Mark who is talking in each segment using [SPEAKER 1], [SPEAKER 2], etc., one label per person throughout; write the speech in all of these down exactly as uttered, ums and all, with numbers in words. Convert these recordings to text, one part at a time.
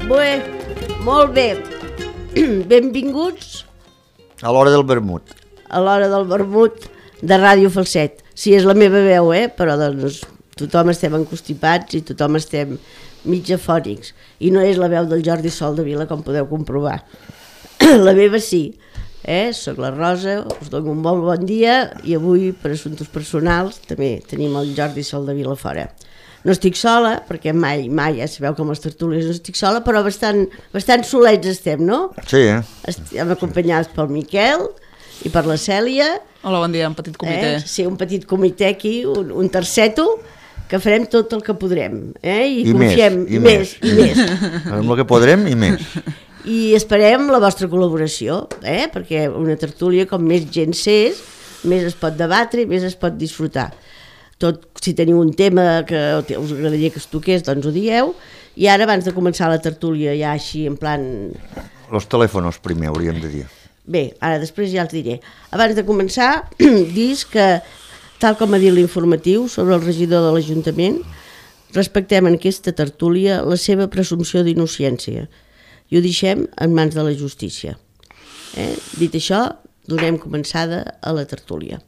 [SPEAKER 1] Bé, molt bé. Benvinguts
[SPEAKER 2] a l'hora del vermut.
[SPEAKER 1] A l'hora del vermut de Ràdio Falset. Sí, és la meva veu, eh? Però doncs tothom estem encostipats i tothom estem mig afònics. I no és la veu del Jordi Sol de Vila, com podeu comprovar. La meva sí. Eh? Soc la Rosa, us dono un molt bon dia i avui, per assumptes personals, també tenim el Jordi Sol de Vila fora. No estic sola, perquè mai, mai, ja sabeu com les tertúlies, no estic sola, però bastant, bastant solets estem, no?
[SPEAKER 2] Sí, eh?
[SPEAKER 1] Estem acompanyats pel Miquel i per la Cèlia.
[SPEAKER 3] Hola, bon dia, un petit comitè.
[SPEAKER 1] Eh? Sí, un petit comitè aquí, un, un terceto, que farem tot el que podrem. Eh? I,
[SPEAKER 2] I
[SPEAKER 1] confiem,
[SPEAKER 2] més, i
[SPEAKER 1] més,
[SPEAKER 2] més.
[SPEAKER 1] I més.
[SPEAKER 2] Farem el que podrem i més.
[SPEAKER 1] I esperem la vostra col·laboració, eh? Perquè una tertúlia, com més gent s'és, més es pot debatre i més es pot disfrutar. Tot, si teniu un tema que us agradaria que es toqués, doncs ho dieu. I ara, abans de començar la tertúlia, ja així, en plan...
[SPEAKER 2] Los telèfons primer, hauríem de dir.
[SPEAKER 1] Bé, ara després ja els diré. Abans de començar, dis que, tal com ha dit l'informatiu sobre el regidor de l'Ajuntament, respectem en aquesta tertúlia la seva presumpció d'innocència i ho deixem en mans de la justícia. Eh? Dit això, donem començada a la tertúlia.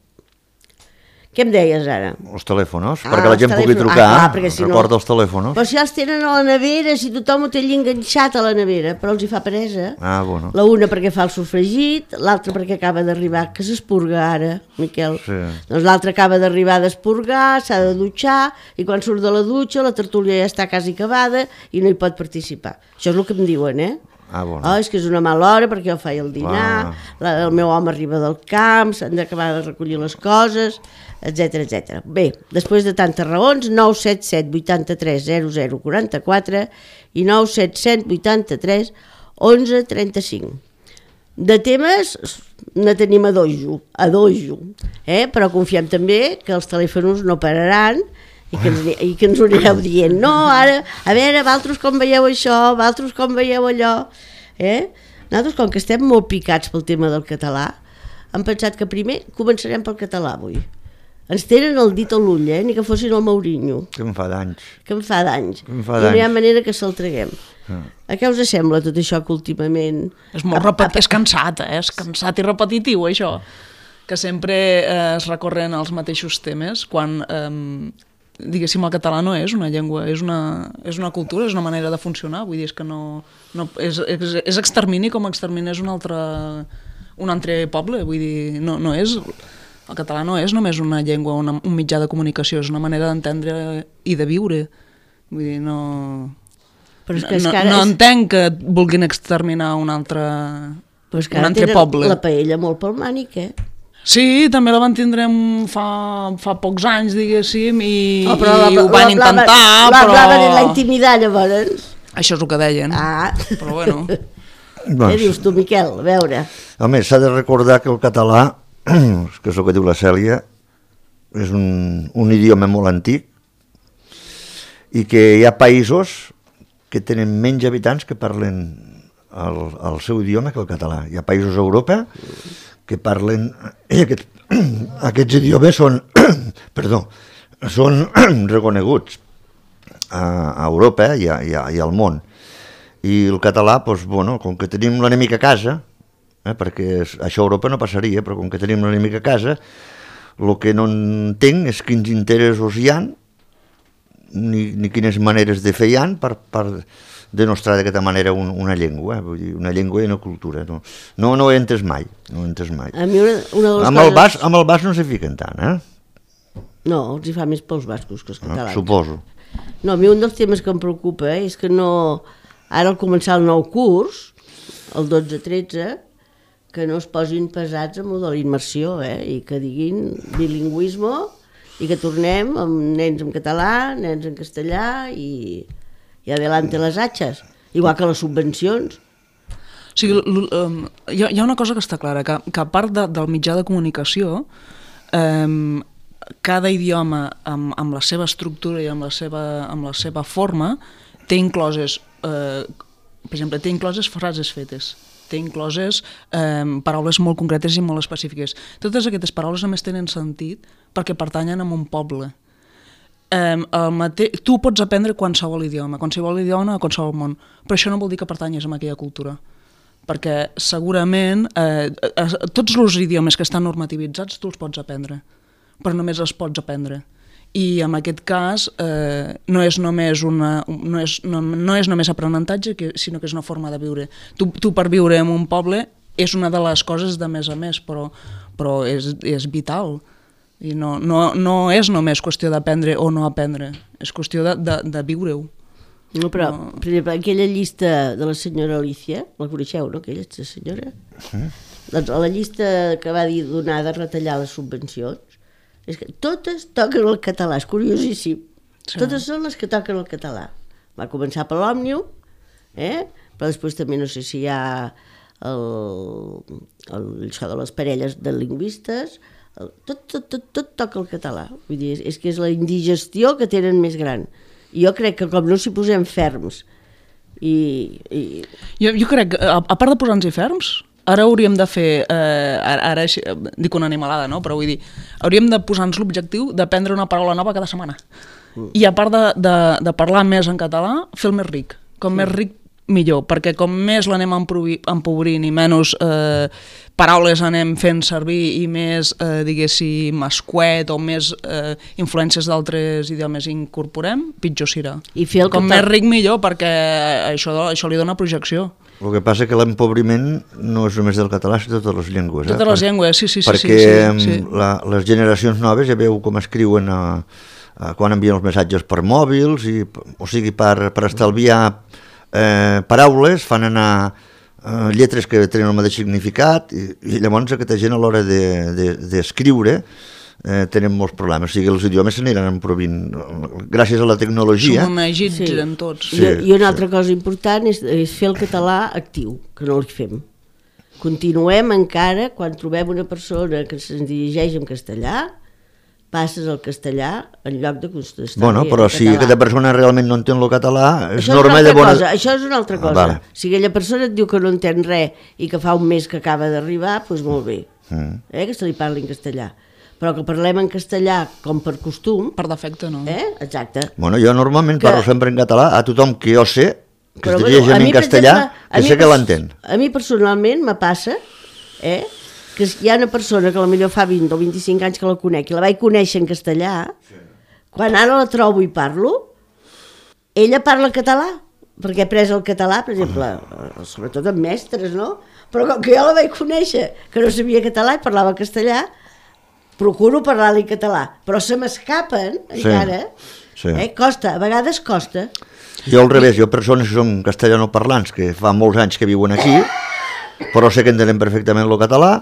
[SPEAKER 1] Què em deies ara?
[SPEAKER 2] Els telèfons,
[SPEAKER 1] Ah,
[SPEAKER 2] perquè la
[SPEAKER 1] els
[SPEAKER 2] gent pugui
[SPEAKER 1] telèfons.
[SPEAKER 2] trucar,
[SPEAKER 1] Ah, clar, si no-
[SPEAKER 2] recorda els telèfons.
[SPEAKER 1] Però si ja els tenen a la nevera, si tothom ho té allà enganxat a la nevera, però els hi fa peresa.
[SPEAKER 2] Ah, bueno.
[SPEAKER 1] La una perquè fa el sofregit, l'altra perquè acaba d'arribar, que s'espurga ara, Miquel.
[SPEAKER 2] Sí.
[SPEAKER 1] Doncs l'altra acaba d'arribar d'espurgar, s'ha de dutxar, i quan surt de la dutxa la tertúlia ja està quasi acabada i no hi pot participar. Això és el que em diuen, eh?
[SPEAKER 2] Ah, bueno.
[SPEAKER 1] Oh, és que és una mala hora perquè jo faig el dinar, la, el meu home arriba del camp, s'han d'acabar de recollir les coses, etcètera, etcètera. Bé, després de tantes raons, nou set set vuitanta-tres zero zero quaranta-quatre i nou set set vuitanta-tres onze trenta-cinc. De temes ne tenim a dojo, a dojo, eh? Però confiem també que els telèfons no pararan i que, ens, i que ens ho anireu dient. No, ara, a veure, vosaltres com veieu això, vosaltres com veieu allò. Eh? Nosaltres, com que estem molt picats pel tema del català, hem pensat que primer començarem pel català avui. Ens tenen el dit a l'ull, eh? Ni que fossin el Mourinho.
[SPEAKER 2] Que em fa d'anys.
[SPEAKER 1] Que em fa d'anys.
[SPEAKER 2] Em fa
[SPEAKER 1] I no hi ha
[SPEAKER 2] d'anys.
[SPEAKER 1] manera que se'l traguem.
[SPEAKER 2] Ah.
[SPEAKER 1] A què us sembla tot això que últimament...
[SPEAKER 3] És molt repetit, és cansat, eh? És cansat i repetitiu, això. Que sempre eh, es recorren als mateixos temes, quan, eh, diguéssim, el català no és una llengua, és una, és una cultura, és una manera de funcionar, vull dir, és que no... no és, és, és extermini com extermini és un altre, un altre poble, vull dir, no, no és... El català no és només una llengua, una, un mitjà de comunicació, és una manera d'entendre i de viure. Vull dir, no...
[SPEAKER 1] Però és que, és
[SPEAKER 3] no,
[SPEAKER 1] que ara
[SPEAKER 3] no
[SPEAKER 1] és...
[SPEAKER 3] entenc que vulguin exterminar un altre,
[SPEAKER 1] Però és que
[SPEAKER 3] un
[SPEAKER 1] ara
[SPEAKER 3] altre
[SPEAKER 1] tenen
[SPEAKER 3] poble.
[SPEAKER 1] la paella molt pel mànic, eh?
[SPEAKER 3] Sí, també la van tindre fa, fa pocs anys, diguéssim, i,
[SPEAKER 1] Oh, però la-
[SPEAKER 3] i ho van
[SPEAKER 1] la- la-
[SPEAKER 3] intentar,
[SPEAKER 1] la-
[SPEAKER 3] però...
[SPEAKER 1] La van intimidar, llavors.
[SPEAKER 3] Això és el que deien,
[SPEAKER 1] Ah.
[SPEAKER 3] però bueno.
[SPEAKER 1] Què
[SPEAKER 2] Doncs,
[SPEAKER 1] dius tu, Miquel? A veure.
[SPEAKER 2] a més, s'ha de recordar que el català, que és el que diu la Cèlia, és un, un idioma molt antic i que hi ha països que tenen menys habitants que parlen el, el seu idioma que el català. Hi ha països a Europa que parlen... I aquest, aquests idiomes són, perdó, són reconeguts a, a Europa i, a, i, a, i al món. I el català, doncs, bueno, com que tenim l'enemic a casa, eh, perquè això a Europa no passaria, però com que tenim l'enemic a casa, el que no entenc és quins interessos hi ha, ni, ni quines maneres de fer hi ha per, per denostar d'aquesta manera un, una llengua, eh? Vull dir, una llengua i una cultura. No, no, no ho he entès mai, no ho he entès mai.
[SPEAKER 1] A mi una, una de les
[SPEAKER 2] Amb el,
[SPEAKER 1] coses...
[SPEAKER 2] bas, amb el bas no s'hi fiquen tant, eh?
[SPEAKER 1] No, els hi fa més pels bascos que els
[SPEAKER 2] No,
[SPEAKER 1] catalans.
[SPEAKER 2] suposo.
[SPEAKER 1] No, a mi un dels temes que em preocupa eh, és que no... Ara al començar el nou curs, el dotze tretze, que no es posin pesats amb el de la immersió, eh? I que diguin bilingüisme i que tornem amb nens en català, nens en castellà i, i adelante les atxes. Igual que les subvencions.
[SPEAKER 3] O sigui, l- l- um, hi, ha, hi ha una cosa que està clara, que, que a part de, del mitjà de comunicació, um, cada idioma amb, amb la seva estructura i amb la seva, amb la seva forma té incloses, eh, per exemple, té incloses frases fetes, té incloses eh, paraules molt concretes i molt específiques. Totes aquestes paraules només tenen sentit perquè pertanyen a un poble. eh, el mate... tu pots aprendre qualsevol idioma, qualsevol idioma a qualsevol món, però això no vol dir que pertanyes a aquella cultura. Perquè segurament eh, eh, tots els idiomes que estan normativitzats tu els pots aprendre, però només els pots aprendre. I en aquest cas eh, no, és només una, no, és, no, no és només aprenentatge, que, sinó que és una forma de viure. Tu, tu per viure en un poble és una de les coses de més a més, però, però és, és vital. I no, no, no és només qüestió d'aprendre o no aprendre, és qüestió de, de, de viure-ho.
[SPEAKER 1] No, però, no. Per exemple, aquella llista de la senyora Alicia, la coneixeu, no, aquella senyora? Sí. Doncs a la llista que va dir donar de retallar les subvencions, és que totes toquen el català, és curiosíssim. Sí. Totes són les que toquen el català. Va començar per l'Òmnium, eh? Però després també no sé si hi ha el, el, això de les parelles de lingüistes, el, tot, tot, tot, tot toca el català. Vull dir, és, és que és la indigestió que tenen més gran. Jo crec que com no s'hi posem ferms i... i...
[SPEAKER 3] Jo, jo crec que, a, a part de posar-nos-hi ferms, ara hauríem de fer, eh, ara, ara dic una animalada, no? Però vull dir, hauríem de posar-nos l'objectiu d'aprendre una paraula nova cada setmana. Mm. I a part de, de, de parlar més en català, fer el més ric. Com sí. Més ric, millor, perquè com més l'anem empobrint i menys eh, paraules anem fent servir i més, eh, diguéssim, escuet o més eh, influències d'altres idiomes incorporem, pitjor serà.
[SPEAKER 1] I fer el
[SPEAKER 3] com més ric millor, perquè això, això li dona projecció.
[SPEAKER 2] El que passa que l'empobriment no és només del català, sinó de totes les llengües.
[SPEAKER 3] Totes
[SPEAKER 2] eh?
[SPEAKER 3] les llengües, sí, sí, sí.
[SPEAKER 2] Perquè
[SPEAKER 3] sí, sí.
[SPEAKER 2] La, les generacions noves ja veu com escriuen a, a, quan envien els missatges per mòbils, i, o sigui, per, per estalviar Eh, paraules, fan anar eh, lletres que tenen el mateix significat i, i llavors aquesta gent a l'hora d'escriure de, de, eh, tenen molts problemes, o sigui els idiomes s'aniran emprovint gràcies a la tecnologia.
[SPEAKER 3] S'homenatgitzen sí. tots.
[SPEAKER 1] Sí, I, I una altra sí. cosa important és, és fer el català actiu, que no el fem. Continuem encara, quan trobem una persona que se'ns dirigeix en castellà, passes al castellà en lloc de contestar.
[SPEAKER 2] Bueno, però si aquesta persona realment no entén el català, és
[SPEAKER 1] això
[SPEAKER 2] norma
[SPEAKER 1] és
[SPEAKER 2] de bona...
[SPEAKER 1] Cosa, això és una altra cosa. Ah, vale. Si aquella persona et diu que no entén res i que fa un mes que acaba d'arribar, doncs molt bé, mm. eh, que se li parli en castellà. Però que parlem en castellà com per costum...
[SPEAKER 3] Per defecte, no.
[SPEAKER 1] Eh? Exacte.
[SPEAKER 2] Bueno, jo normalment que... parlo sempre en català a tothom que jo sé, que
[SPEAKER 1] però,
[SPEAKER 2] es dirigeix
[SPEAKER 1] bueno,
[SPEAKER 2] en castellà, exemple, que sé que l'entén.
[SPEAKER 1] A mi personalment me passa, eh, que hi ha una persona que potser fa vint o vint-i-cinc anys que la conec i la vaig conèixer en castellà, sí. Quan ara la trobo i parlo, ella parla català, perquè he pres el català, per exemple, sobretot amb mestres, no? Però com que jo la vaig conèixer, que no sabia català i parlava castellà, procuro parlar-li català, però se m'escapen sí. encara, sí. Eh? Costa, a vegades costa.
[SPEAKER 2] Jo al revés, jo persones que són castellanoparlants, que fa molts anys que viuen aquí, però sé que entenen perfectament el català,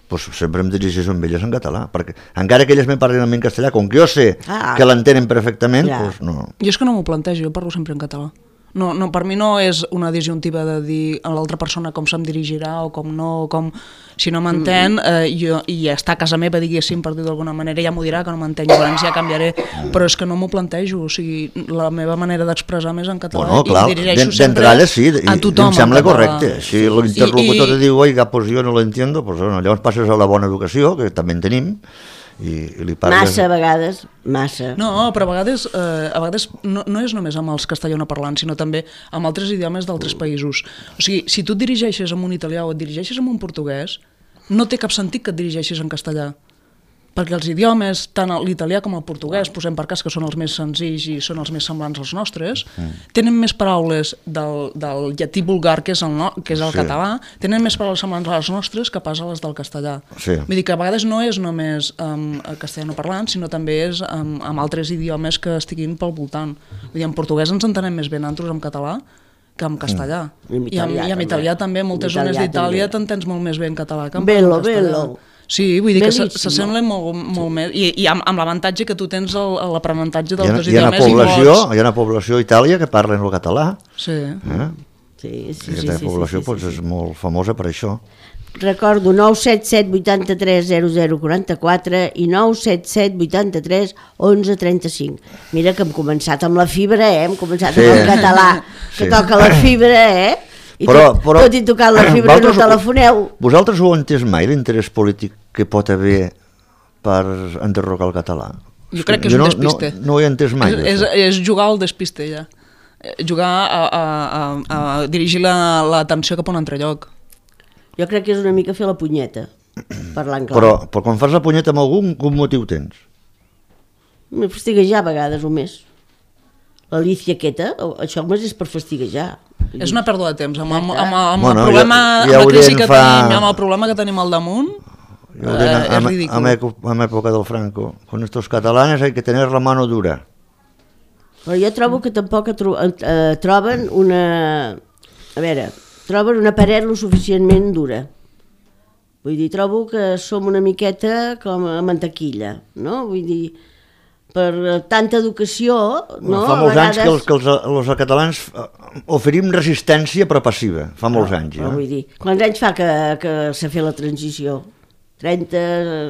[SPEAKER 2] pues sempre em dirigeixo amb elles en català, perquè encara que elles me parlen a mi en castellà, com que jo sé ah, que l'entenen perfectament, ja. Pues no.
[SPEAKER 3] Jo és que no m'ho plantejo, jo parlo sempre en català. No, no, per mi no és una disjuntiva de dir a l'altra persona com se'm dirigirà o com no, com... Si no m'entén, eh, jo, i està a casa meva, diguéssim, per dir d'alguna manera, ja m'ho dirà que no m'entén, llavors ja canviaré, però és que no m'ho plantejo, o sigui, la meva manera d'expressar més en català
[SPEAKER 2] bueno, clar,
[SPEAKER 3] i dirigeixo sempre
[SPEAKER 2] sí,
[SPEAKER 3] a tothom.
[SPEAKER 2] Em sembla correcte. Si l'interlocutor te diu, oiga, pues jo no lo entiendo, pues bueno, llavors passes a la bona educació, que també en tenim, I, i li parles...
[SPEAKER 1] Massa a vegades, massa.
[SPEAKER 3] No, però a vegades, eh, a vegades no, no és només amb els castellanoparlants, sinó també amb altres idiomes d'altres països. O sigui, si tu et dirigeixes amb un italià o et dirigeixes amb un portuguès, no té cap sentit que et dirigeixis en castellà. Perquè els idiomes, tant l'italià com el portuguès, posem per cas que són els més senzills i són els més semblants als nostres, mm. tenen més paraules del, del llatí vulgar, que és el, no, que és el sí. català, tenen més paraules semblants a les nostres que pas a les del castellà. Sí. Vull dir que a vegades no és només um, castellanoparlant, sinó també és um, amb altres idiomes que estiguin pel voltant. Vull dir, en portuguès ens entenem més bé nosaltres en català que en castellà. Mm. I, I, I en italià també, moltes zones d'Itàlia t'entens molt més bé en català que en
[SPEAKER 1] bello,
[SPEAKER 3] castellà.
[SPEAKER 1] Bello.
[SPEAKER 3] Sí, vull dir Bellíssim. que s'assemblen molt, molt més, i, i amb, amb l'avantatge que tu tens l'aprenentatge d'altres idiomes
[SPEAKER 2] i mots. Hi ha una població a Itàlia que parlen el català.
[SPEAKER 3] Sí.
[SPEAKER 2] Eh?
[SPEAKER 1] Sí, sí,
[SPEAKER 2] I aquesta
[SPEAKER 1] sí,
[SPEAKER 2] població
[SPEAKER 1] sí, sí,
[SPEAKER 2] pues,
[SPEAKER 1] sí,
[SPEAKER 2] és
[SPEAKER 1] sí.
[SPEAKER 2] molt famosa per això.
[SPEAKER 1] Recordo nou set set vuit tres zero zero quatre quatre i nou set set vuit tres onze trenta-cinc. Mira que hem començat amb la fibra, eh? Hem començat sí. amb el català, que sí. toca la fibra, eh? I
[SPEAKER 2] però,
[SPEAKER 1] tot,
[SPEAKER 2] però,
[SPEAKER 1] tot i tocar la fibra no telefoneu.
[SPEAKER 2] Vosaltres ho heu entès mai, l'interès polític que pot haver per enderrocar el català?
[SPEAKER 3] Jo crec que és
[SPEAKER 2] jo
[SPEAKER 3] un
[SPEAKER 2] no,
[SPEAKER 3] despiste.
[SPEAKER 2] No, no ho he entès mai.
[SPEAKER 3] És, és, és jugar al despiste, ja. Jugar a, a, a, a dirigir l'atenció cap a un altre lloc.
[SPEAKER 1] Jo crec que és una mica fer la punyeta, parlant clar.
[SPEAKER 2] Però, però quan fas la punyeta amb algun, quin motiu tens?
[SPEAKER 1] Me fastiguejar a vegades o més. L'Alicia aquesta, això només és per fastiguejar.
[SPEAKER 3] És una pèrdua de temps. Amb, amb, amb, amb,
[SPEAKER 2] Bueno,
[SPEAKER 3] el problema,
[SPEAKER 2] ja- ja
[SPEAKER 3] amb la crisi
[SPEAKER 2] Aurien
[SPEAKER 3] que
[SPEAKER 2] fa-
[SPEAKER 3] tenim, amb el problema que tenim al damunt,
[SPEAKER 2] Jo
[SPEAKER 3] eh,
[SPEAKER 2] deia,
[SPEAKER 3] és
[SPEAKER 2] en,
[SPEAKER 3] ridícul.
[SPEAKER 2] en, eco- en època del Franco, con estos catalanes hay que tener la mano dura.
[SPEAKER 1] Però jo trobo que tampoc tro eh, troben una... A veure, troben una paret lo suficientment dura. Vull dir, trobo que som una miqueta com a mantequilla, no? Vull dir, per tanta educació... No?
[SPEAKER 2] Fa
[SPEAKER 1] A
[SPEAKER 2] molts
[SPEAKER 1] vegades...
[SPEAKER 2] anys que els, que els, els catalans eh, oferim resistència però passiva, fa molts
[SPEAKER 1] No,
[SPEAKER 2] anys.
[SPEAKER 1] però
[SPEAKER 2] Ja.
[SPEAKER 1] vull dir, quants anys fa que, que s'ha fet la transició? trenta,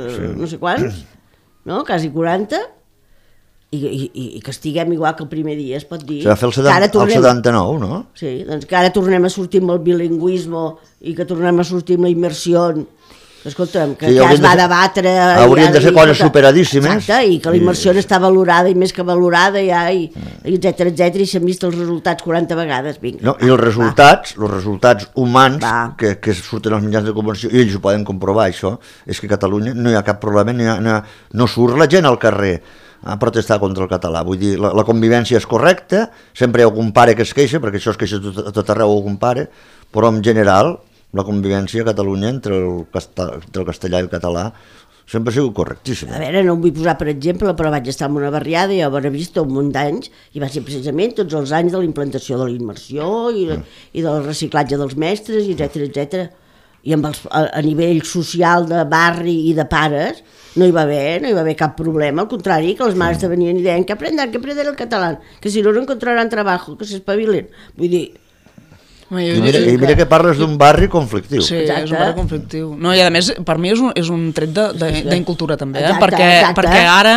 [SPEAKER 1] sí. No sé quants, no? Quasi quaranta, i, i, i que estiguem igual que el primer dia, es pot dir.
[SPEAKER 2] Se va fer el,
[SPEAKER 1] Que ara
[SPEAKER 2] setanta, el
[SPEAKER 1] tornem-
[SPEAKER 2] setanta-nou, no?
[SPEAKER 1] Sí, doncs que ara tornem a sortir amb el bilingüisme i que tornem a sortir amb la immersió. Escolta'm, que
[SPEAKER 2] Sí,
[SPEAKER 1] ja
[SPEAKER 2] haurien
[SPEAKER 1] es va
[SPEAKER 2] de ser-
[SPEAKER 1] debatre...
[SPEAKER 2] haurien de ser
[SPEAKER 1] i-
[SPEAKER 2] coses
[SPEAKER 1] i-
[SPEAKER 2] superadíssimes.
[SPEAKER 1] Exacte, i que la immersió
[SPEAKER 2] I-
[SPEAKER 1] està valorada i més que valorada ja, i, i etcètera, etcètera, i s'han vist els resultats quaranta vegades, vinga.
[SPEAKER 2] No, I els resultats, els resultats humans
[SPEAKER 1] Va.
[SPEAKER 2] que, que surten als mitjans de comunicació, i ells ho poden comprovar, això, és que a Catalunya no hi ha cap problema, no, hi ha, no, hi ha, no surt la gent al carrer a protestar contra el català. Vull dir, la, la convivència és correcta, sempre hi ha algun pare que es queixa, perquè això es queixa tot, a tot arreu algun pare, però en general la convivència a Catalunya entre el, casta, entre el castellà i el català sempre ha sigut correctíssima.
[SPEAKER 1] A veure, no em vull posar per exemple, però vaig estar en una barriada i a Bonavista un munt d'anys i va ser precisament tots els anys de la implantació de la immersió i, de,
[SPEAKER 2] Mm.
[SPEAKER 1] i del reciclatge dels mestres, etcètera, etcètera. I amb els, a, a nivell social de barri i de pares no hi va haver, no hi va haver cap problema, al contrari, que les mares te venien i deien que aprendan, que aprender el català, que si no no encontraran trabajo, que s'espavilen. Vull dir,
[SPEAKER 3] Home, jo-
[SPEAKER 2] I mira, i mira que parles d'un barri conflictiu.
[SPEAKER 3] Sí,
[SPEAKER 1] Exacte.
[SPEAKER 3] és un barri conflictiu. No, i a més, per mi és un, és un tret de- de- d'incultura també, eh?
[SPEAKER 1] Exacte,
[SPEAKER 3] perquè,
[SPEAKER 1] exacte.
[SPEAKER 3] perquè ara,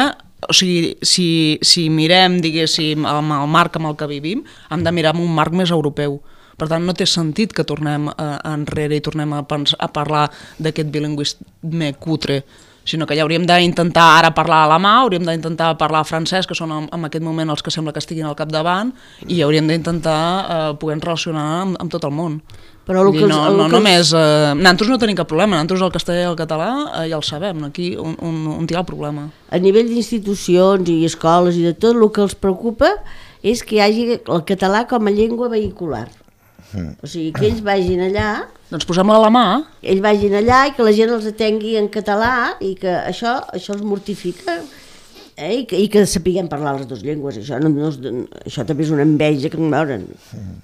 [SPEAKER 3] o sigui, si, si mirem, diguéssim, amb el marc amb el que vivim, hem de mirar amb un marc més europeu. Per tant, no té sentit que tornem eh, enrere i tornem a, pensar, a parlar d'aquest bilingüisme cutre, sinó que ja hauríem d'intentar ara parlar alemà, hauríem d'intentar parlar francès, que són en, en aquest moment els que sembla que estiguin al capdavant, i hauríem d'intentar eh, poder relacionar amb, amb tot el món.
[SPEAKER 1] Però el
[SPEAKER 3] Vull
[SPEAKER 1] que
[SPEAKER 3] dir,
[SPEAKER 1] els-
[SPEAKER 3] no,
[SPEAKER 1] el
[SPEAKER 3] no
[SPEAKER 1] que els-
[SPEAKER 3] només... Eh, nosaltres no tenim cap problema, nosaltres el castellà i el català eh, ja el sabem, aquí on, on, on hi ha el problema.
[SPEAKER 1] a nivell d'institucions i escoles i de tot, el que els preocupa és que hi hagi el català com a llengua vehicular. O sigui, que ells vagin allà,
[SPEAKER 3] Doncs posem-la a la mà,
[SPEAKER 1] ells vagin allà i que la gent els atengui en català i que això, això els mortifica, eh? I, que, i que sapiguem parlar les dues llengües. Això, no, no, això també és una enveja que em veuren,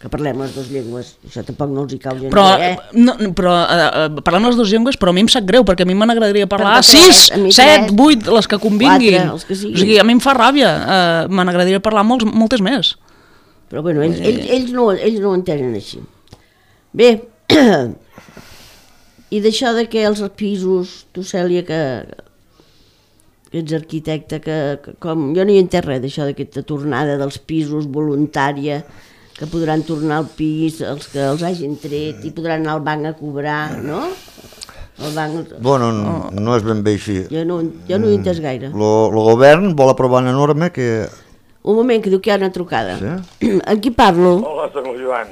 [SPEAKER 1] que parlem les dues llengües. Això tampoc no els hi cau gens
[SPEAKER 3] però,
[SPEAKER 1] bé, eh?
[SPEAKER 3] no, però eh, eh, parlem les dues llengües, però a mi em sap greu, perquè a mi me n'agradaria parlar
[SPEAKER 1] Perquè tres,
[SPEAKER 3] sis,
[SPEAKER 1] a mi
[SPEAKER 3] set,
[SPEAKER 1] tres,
[SPEAKER 3] vuit, les que convinguin.
[SPEAKER 1] quatre, els que siguin.
[SPEAKER 3] O sigui, a mi em fa ràbia, eh, me n'agradaria parlar molts, moltes més.
[SPEAKER 1] Però bueno, ells, ells, ells, no, ells no ho entenen així. Bé, i d'això de que els pisos, tu Cèlia, que, que ets arquitecte, que, que com, jo no hi entenc res d'això d'aquesta tornada dels pisos voluntària, que podran tornar al pis els que els hagin tret i podran anar al banc a cobrar, no? El banc...
[SPEAKER 2] Bueno, no, no és ben bé així.
[SPEAKER 1] Jo no, jo no ho he entès gaire.
[SPEAKER 2] El govern vol aprovar una norma que...
[SPEAKER 1] Un moment, que diu que hi ha una trucada.
[SPEAKER 2] Sí?
[SPEAKER 1] Amb qui parlo?
[SPEAKER 4] Hola, soc el Joan.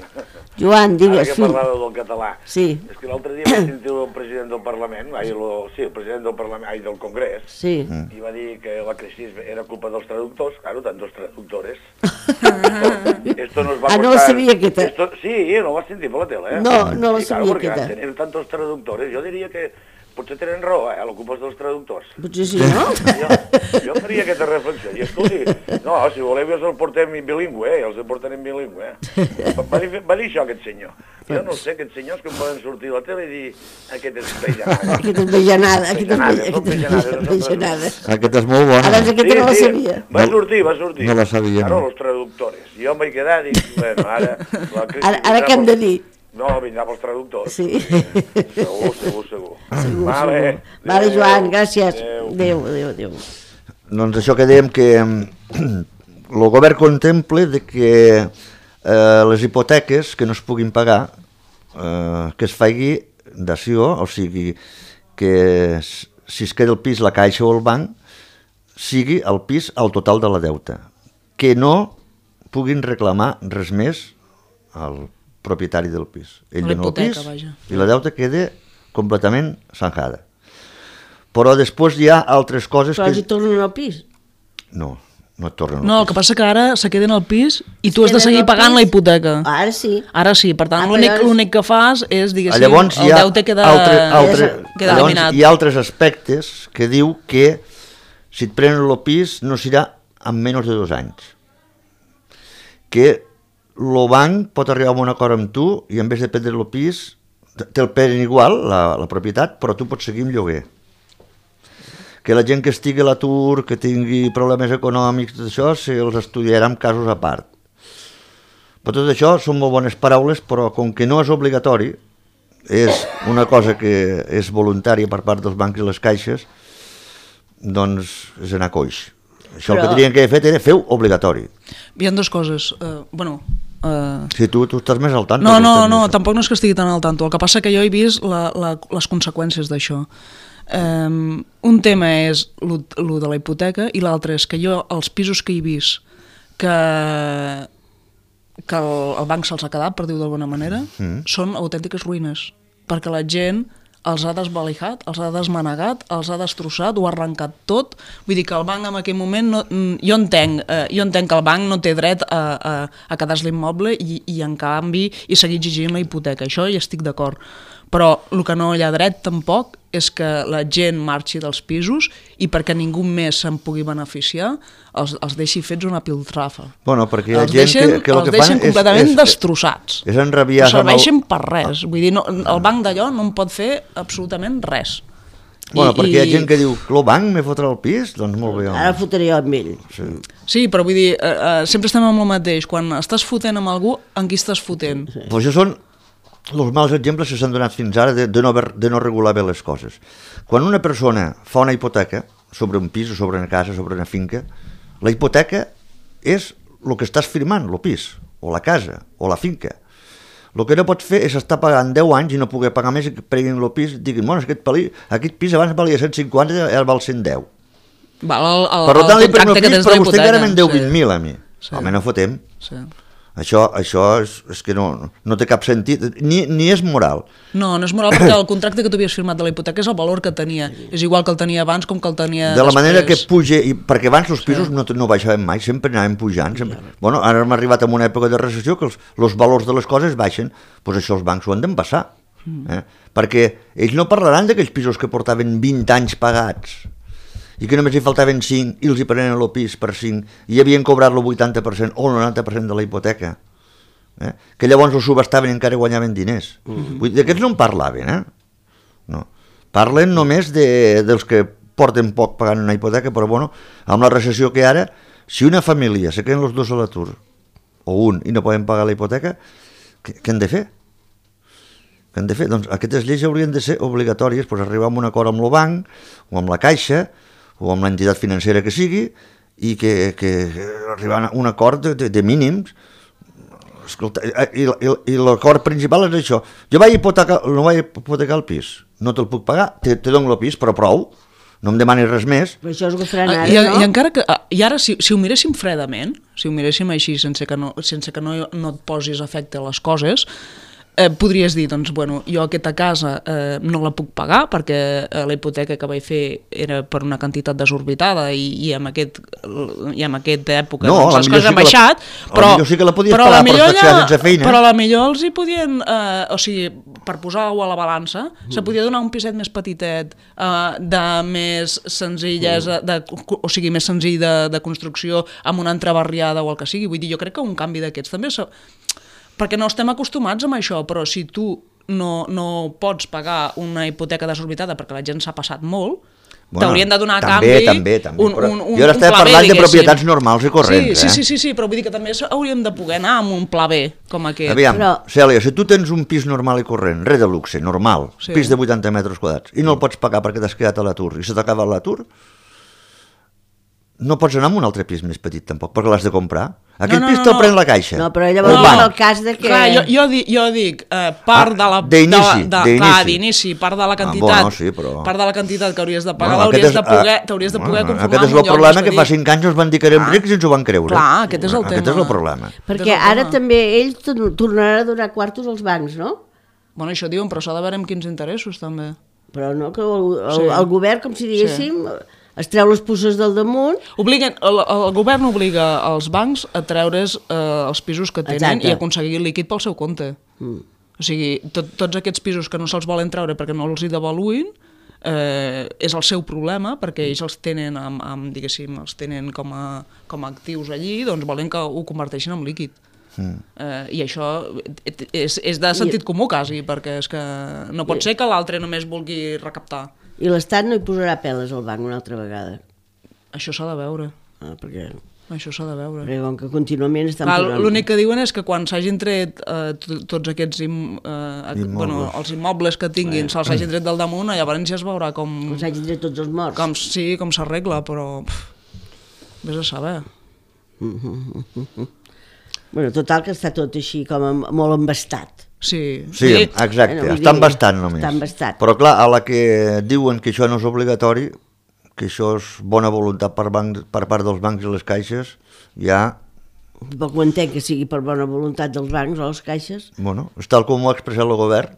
[SPEAKER 1] Joan,
[SPEAKER 4] Ara
[SPEAKER 1] digues,
[SPEAKER 4] que
[SPEAKER 1] fill.
[SPEAKER 4] parlava del català.
[SPEAKER 1] Sí,
[SPEAKER 4] És que l'altre dia vaig sentir el president del Parlament, ai, lo, sí, el president del Parlament, ai, del Congrés,
[SPEAKER 1] sí.
[SPEAKER 4] i va dir que la crisi era culpa dels traductors, claro, tant dos traductores. esto, esto nos va a
[SPEAKER 1] Ah, no la
[SPEAKER 4] costar-
[SPEAKER 1] sabia aquesta.
[SPEAKER 4] Esto, sí, no ho vas sentir per la tele, eh?
[SPEAKER 1] No, no la
[SPEAKER 4] Sí,
[SPEAKER 1] sabia
[SPEAKER 4] claro, perquè
[SPEAKER 1] aquesta.
[SPEAKER 4] al tener tantos traductors, jo diria que potser tenen raó, eh, la culpa és dels traductors.
[SPEAKER 1] Potser sí, no?
[SPEAKER 4] Jo, jo faria aquesta reflexió. I escolti, no, si voleu jo els portem bilingüe, eh? Els portarem bilingüe. Eh? Va, dir, va dir això aquest senyor. Jo no sé, aquests senyors que poden sortir a la tele i dir aquest és vejanada.
[SPEAKER 1] Aquesta és vejanada, aquesta és
[SPEAKER 4] Vejanada,
[SPEAKER 1] vejanada,
[SPEAKER 4] són
[SPEAKER 1] aquesta és
[SPEAKER 4] vejanades,
[SPEAKER 1] vejanada.
[SPEAKER 2] Aquesta és molt bona.
[SPEAKER 1] Ara és aquesta no la sabia.
[SPEAKER 4] Va sortir, va sortir.
[SPEAKER 2] No la sabia,
[SPEAKER 4] Claro,
[SPEAKER 2] no.
[SPEAKER 4] los traductores. I jo em vaig quedar i dic, bueno, ara... La crisi
[SPEAKER 1] Ara, ara
[SPEAKER 4] vindrà
[SPEAKER 1] què hem de
[SPEAKER 4] pels-
[SPEAKER 1] dir?
[SPEAKER 4] No, vindrà pels traductors.
[SPEAKER 1] Sí.
[SPEAKER 4] Segur, segur, segur.
[SPEAKER 1] Segur,
[SPEAKER 4] Vale,
[SPEAKER 1] segur. Vale, Joan, gràcies.
[SPEAKER 4] Adéu.
[SPEAKER 1] Adéu, adéu, adéu.
[SPEAKER 2] Doncs això que dèiem que el govern contempla de que eh, les hipoteques que no es puguin pagar eh, que es faci dació, o sigui que s- si es queda el pis la caixa o el banc sigui el pis al total de la deuta, que no puguin reclamar res més al propietari del pis. Ell dona el pis i la deuta queda completament zanjada. Però després hi ha altres coses
[SPEAKER 1] Però
[SPEAKER 2] que...
[SPEAKER 1] els hi tornen al pis?
[SPEAKER 2] No, no et tornen al
[SPEAKER 3] No, el
[SPEAKER 2] pis.
[SPEAKER 3] que passa que ara se queden al pis i tu has de
[SPEAKER 1] queden
[SPEAKER 3] seguir
[SPEAKER 1] al
[SPEAKER 3] pagant
[SPEAKER 1] pis?
[SPEAKER 3] la hipoteca.
[SPEAKER 1] Ara sí.
[SPEAKER 3] Ara sí, per tant,
[SPEAKER 1] Ah,
[SPEAKER 3] l'únic
[SPEAKER 1] però-
[SPEAKER 3] l'únic que fas és, diguéssim,
[SPEAKER 2] Llavors, hi
[SPEAKER 3] el
[SPEAKER 2] ha
[SPEAKER 3] deute queda,
[SPEAKER 2] altre, altre,
[SPEAKER 3] queda
[SPEAKER 2] llavors,
[SPEAKER 3] eliminat.
[SPEAKER 2] hi ha altres aspectes que diu que si et prenen el pis no serà en menys de dos anys. Que el banc pot arribar a un acord amb tu i en vez de prendre el pis te'l prenen igual, la, la propietat, però tu pots seguir amb lloguer. Que la gent que estigui a l'atur, que tingui problemes econòmics, tot això, se'ls estudiarà en casos a part. Però tot això són molt bones paraules, però com que no és obligatori, és una cosa que és voluntària per part dels bancs i les caixes, doncs és anar coix. Això però... el que tenien que haver fet era fer-ho obligatori.
[SPEAKER 3] Hi ha dues coses. Uh, bueno, uh...
[SPEAKER 2] Si tu, tu estàs més al tant.
[SPEAKER 3] No, no, no, tampoc no és que estigui tan al tanto. El que passa que jo he vist la, la, les conseqüències d'això. Um, un tema és lo, lo de la hipoteca i l'altre és que jo, els pisos que he vist que, que el, el banc se'ls ha quedat, per dir-ho d'alguna manera, mm. són autèntiques ruïnes, perquè la gent els ha desvalijat, els ha desmanegat, els ha destrossat, ho ha arrencat tot. Vull dir que el banc en aquell moment, no, jo, entenc, eh, jo entenc que el banc no té dret a, a, a quedar-se l'immoble i, i en canvi i seguir exigint la hipoteca, això hi estic d'acord. Però el que no hi ha dret tampoc és que la gent marxi dels pisos i perquè ningú més se'n pugui beneficiar els, els deixi fets una piltrafa.
[SPEAKER 2] Bueno, perquè hi ha
[SPEAKER 3] els
[SPEAKER 2] gent
[SPEAKER 3] deixen,
[SPEAKER 2] que, que el
[SPEAKER 3] els
[SPEAKER 2] que
[SPEAKER 3] deixen
[SPEAKER 2] fan
[SPEAKER 3] completament
[SPEAKER 2] és, és,
[SPEAKER 3] destrossats.
[SPEAKER 2] És enrabiar...
[SPEAKER 3] No serveixen el... per res. Vull dir, no, el banc d'allò no en pot fer absolutament res.
[SPEAKER 2] Bueno,
[SPEAKER 3] I,
[SPEAKER 2] perquè hi ha
[SPEAKER 3] i...
[SPEAKER 2] gent que diu que el banc me fotrà el pis, doncs molt bé. Home.
[SPEAKER 1] Ara fotré jo amb ell.
[SPEAKER 2] Sí.
[SPEAKER 3] Sí, però vull dir, eh, eh, sempre estem amb el mateix. Quan estàs fotent amb algú, en qui estàs fotent?
[SPEAKER 2] Sí. Pues això són els mals exemples que s'han donat fins ara de, de, no haver, de no regular bé les coses. Quan una persona fa una hipoteca sobre un pis o sobre una casa, sobre una finca, la hipoteca és el que estàs firmant, el pis, o la casa, o la finca. El que no pots fer és estar pagant deu anys i no poder pagar més i que prenguin el pis i diguin, bueno, aquest, pali, aquest pis abans valia cent cinquanta i ara val cent deu.
[SPEAKER 3] Val el, el,
[SPEAKER 2] per tant,
[SPEAKER 3] el
[SPEAKER 2] li prenc el
[SPEAKER 3] que
[SPEAKER 2] pis,
[SPEAKER 3] tens
[SPEAKER 2] però
[SPEAKER 3] de
[SPEAKER 2] vostè
[SPEAKER 3] hipoteca.
[SPEAKER 2] encara me'n deu
[SPEAKER 3] Sí.
[SPEAKER 2] vint mil a mi.
[SPEAKER 3] Sí.
[SPEAKER 2] Home, no fotem.
[SPEAKER 3] Sí.
[SPEAKER 2] Això, això és, és que no, no té cap sentit, ni, ni és moral.
[SPEAKER 3] No, no és moral perquè el contracte que tu havies firmat de la hipoteca és el valor que tenia. És igual que el tenia abans com que el tenia
[SPEAKER 2] de la
[SPEAKER 3] després.
[SPEAKER 2] manera que puja, i, perquè abans els pisos sí. no, no baixaven mai, sempre anaven pujant. Sempre. Bueno, ara hem arribat a una època de recessió que els, els valors de les coses baixen, doncs això els bancs ho han d'empassar. Mm. Eh? Perquè ells no parlaran d'aquells pisos que portaven vint anys pagats i que només hi faltaven cinc i els hi prenen el pis per cinc i havien cobrat el vuitanta per cent o el noranta per cent de la hipoteca. Eh? Que llavors ho subastaven i encara guanyaven diners. Mm-hmm. Vull dir, d'aquests no en parlaven, eh? No. Parlen només de, dels que porten poc pagant una hipoteca, però bueno, amb la recessió que ara, si una família se queden els dos a l'atur, o un, i no poden pagar la hipoteca, què, què han de fer? Què han de fer? Doncs aquestes lleis haurien de ser obligatòries, doncs arribar a un acord amb el banc, o amb la caixa, o amb l'entitat financera que sigui, i que, que arribar a un acord de, de, de mínims. Escolta, i, i, i l'acord principal és això. Jo vaig hipotecar, no vaig hipotecar el pis, no te'l puc pagar, te, te dono el pis, però prou, no em demanis res més.
[SPEAKER 1] Però això és el que faran ara,
[SPEAKER 3] I,
[SPEAKER 1] no?
[SPEAKER 3] I encara que, i ara, si, si ho miréssim fredament, si ho miréssim així, sense que no, sense que no, no et posis efecte a les coses, eh, podries dir, doncs, bueno, jo aquesta casa eh, no la puc pagar perquè eh, la hipoteca que vaig fer era per una quantitat desorbitada i, i amb, aquest, i amb aquesta època
[SPEAKER 2] no,
[SPEAKER 3] doncs, les coses
[SPEAKER 2] sí
[SPEAKER 3] han baixat,
[SPEAKER 2] la,
[SPEAKER 3] però,
[SPEAKER 2] sí que la podies
[SPEAKER 3] però,
[SPEAKER 2] pagar
[SPEAKER 3] la millor
[SPEAKER 2] per estar sense feina.
[SPEAKER 3] Però la millor els hi podien, eh, o sigui, per posar-ho a la balança, mm. se podia donar un piset més petitet, eh, de més senzillesa, de, o sigui, més senzill de, de construcció, amb una entrebarriada o el que sigui. Vull dir, jo crec que un canvi d'aquests també... Se... perquè no estem acostumats amb això, però si tu no, no pots pagar una hipoteca desorbitada perquè la gent s'ha passat molt, bueno, t'haurien de donar a
[SPEAKER 2] també,
[SPEAKER 3] canvi
[SPEAKER 2] també, també,
[SPEAKER 3] un, un, un,
[SPEAKER 2] jo ara
[SPEAKER 3] un
[SPEAKER 2] estava
[SPEAKER 3] pla
[SPEAKER 2] parlant
[SPEAKER 3] B,
[SPEAKER 2] de propietats normals i corrents.
[SPEAKER 3] Sí,
[SPEAKER 2] eh?
[SPEAKER 3] sí, sí, sí, però vull dir que també hauríem de poder anar amb un pla B com aquest.
[SPEAKER 2] Aviam,
[SPEAKER 1] Però...
[SPEAKER 2] Cèlia, si tu tens un pis normal i corrent, res de luxe, normal,
[SPEAKER 3] sí.
[SPEAKER 2] Pis de vuitanta metres quadrats, i no el pots pagar perquè t'has quedat a l'atur i se t'ha acabat l'atur, no pots anar a un altre pis més petit tampoc, perquè l'has de comprar. Aquest
[SPEAKER 3] no, no,
[SPEAKER 2] pis
[SPEAKER 3] no,
[SPEAKER 2] te'l
[SPEAKER 3] no.
[SPEAKER 2] pren la caixa.
[SPEAKER 1] No, però llavors
[SPEAKER 2] El
[SPEAKER 1] no.
[SPEAKER 2] banc.
[SPEAKER 1] el cas de que...
[SPEAKER 3] Clar, jo, jo, dic, jo dic eh, part
[SPEAKER 2] Ah,
[SPEAKER 3] de la...
[SPEAKER 2] d'inici,
[SPEAKER 3] de, de,
[SPEAKER 2] d'inici.
[SPEAKER 3] Clar, d'inici, part de la quantitat,
[SPEAKER 2] Ah, bueno, sí, però-
[SPEAKER 3] part de la quantitat que hauries de pagar,
[SPEAKER 2] Bueno,
[SPEAKER 3] l'hauries
[SPEAKER 2] aquest
[SPEAKER 3] de
[SPEAKER 2] és-
[SPEAKER 3] poder,
[SPEAKER 2] ah,
[SPEAKER 3] t'hauries de poder
[SPEAKER 2] bueno,
[SPEAKER 3] conformar
[SPEAKER 2] Aquest és
[SPEAKER 3] amb un
[SPEAKER 2] el
[SPEAKER 3] lloc
[SPEAKER 2] problema, que fa
[SPEAKER 3] expedit.
[SPEAKER 2] cinc anys ens van dir que érem
[SPEAKER 3] Ah.
[SPEAKER 2] rics i ens ho van creure.
[SPEAKER 3] Clar, aquest és el
[SPEAKER 2] Aquest
[SPEAKER 3] tema.
[SPEAKER 2] és el problema.
[SPEAKER 1] Perquè
[SPEAKER 3] Aquest és el
[SPEAKER 1] ara
[SPEAKER 3] tema.
[SPEAKER 1] també ells tor- tornaran a donar quartos als bancs, no?
[SPEAKER 3] Bueno, això diuen, però s'ha de veure amb quins interessos, també.
[SPEAKER 1] Però no, que el, el,
[SPEAKER 3] Sí.
[SPEAKER 1] el govern, com si diguéssim, es treu les puces del damunt.
[SPEAKER 3] Obliguen, el, el govern obliga els bancs a treure's eh, els pisos que tenen
[SPEAKER 1] Exacte.
[SPEAKER 3] i aconseguir líquid pel seu compte. Mm. O sigui, tot, tots aquests pisos que no se'ls volen treure perquè no els hi devaluïn, eh, és el seu problema, perquè ells els tenen, amb, amb, diguéssim, els tenen com a, com a actius allí, doncs volen que ho converteixin en líquid. Mm. Eh, I això és, és de sentit comú, quasi, perquè és que no pot ser que l'altre només vulgui recaptar.
[SPEAKER 1] I l'Estat no hi posarà peles al banc una altra vegada.
[SPEAKER 3] Això s'ha de veure.
[SPEAKER 1] Ah, perquè,
[SPEAKER 3] Això s'ha de veure.
[SPEAKER 1] perquè com que contínuament estan
[SPEAKER 3] Clar,
[SPEAKER 1] posant...
[SPEAKER 3] l'únic que diuen és que quan s'hagin tret eh, t- tots aquests im, eh,
[SPEAKER 2] Immobles.
[SPEAKER 3] bueno, els immobles que tinguin, se'ls hagin tret del damunt, llavors ja es veurà com,
[SPEAKER 1] Com s'hagin tret tots els morts.
[SPEAKER 3] com, sí, com s'arregla, però pff, vés a saber.
[SPEAKER 1] Bueno, total, que està tot així com amb, molt embastat.
[SPEAKER 3] Sí,
[SPEAKER 2] Sí, exacte,
[SPEAKER 1] Bueno, vull
[SPEAKER 2] estan
[SPEAKER 1] dir,
[SPEAKER 2] bastant només.
[SPEAKER 1] estan bastant.
[SPEAKER 2] Però clar, a la que diuen que això no és obligatori, que això és bona voluntat per, banc, per part dels bancs i les caixes, ja,
[SPEAKER 1] Tampoc ho entenc que sigui per bona voluntat dels bancs o les caixes.
[SPEAKER 2] bueno, és tal com ho ha expressat el govern,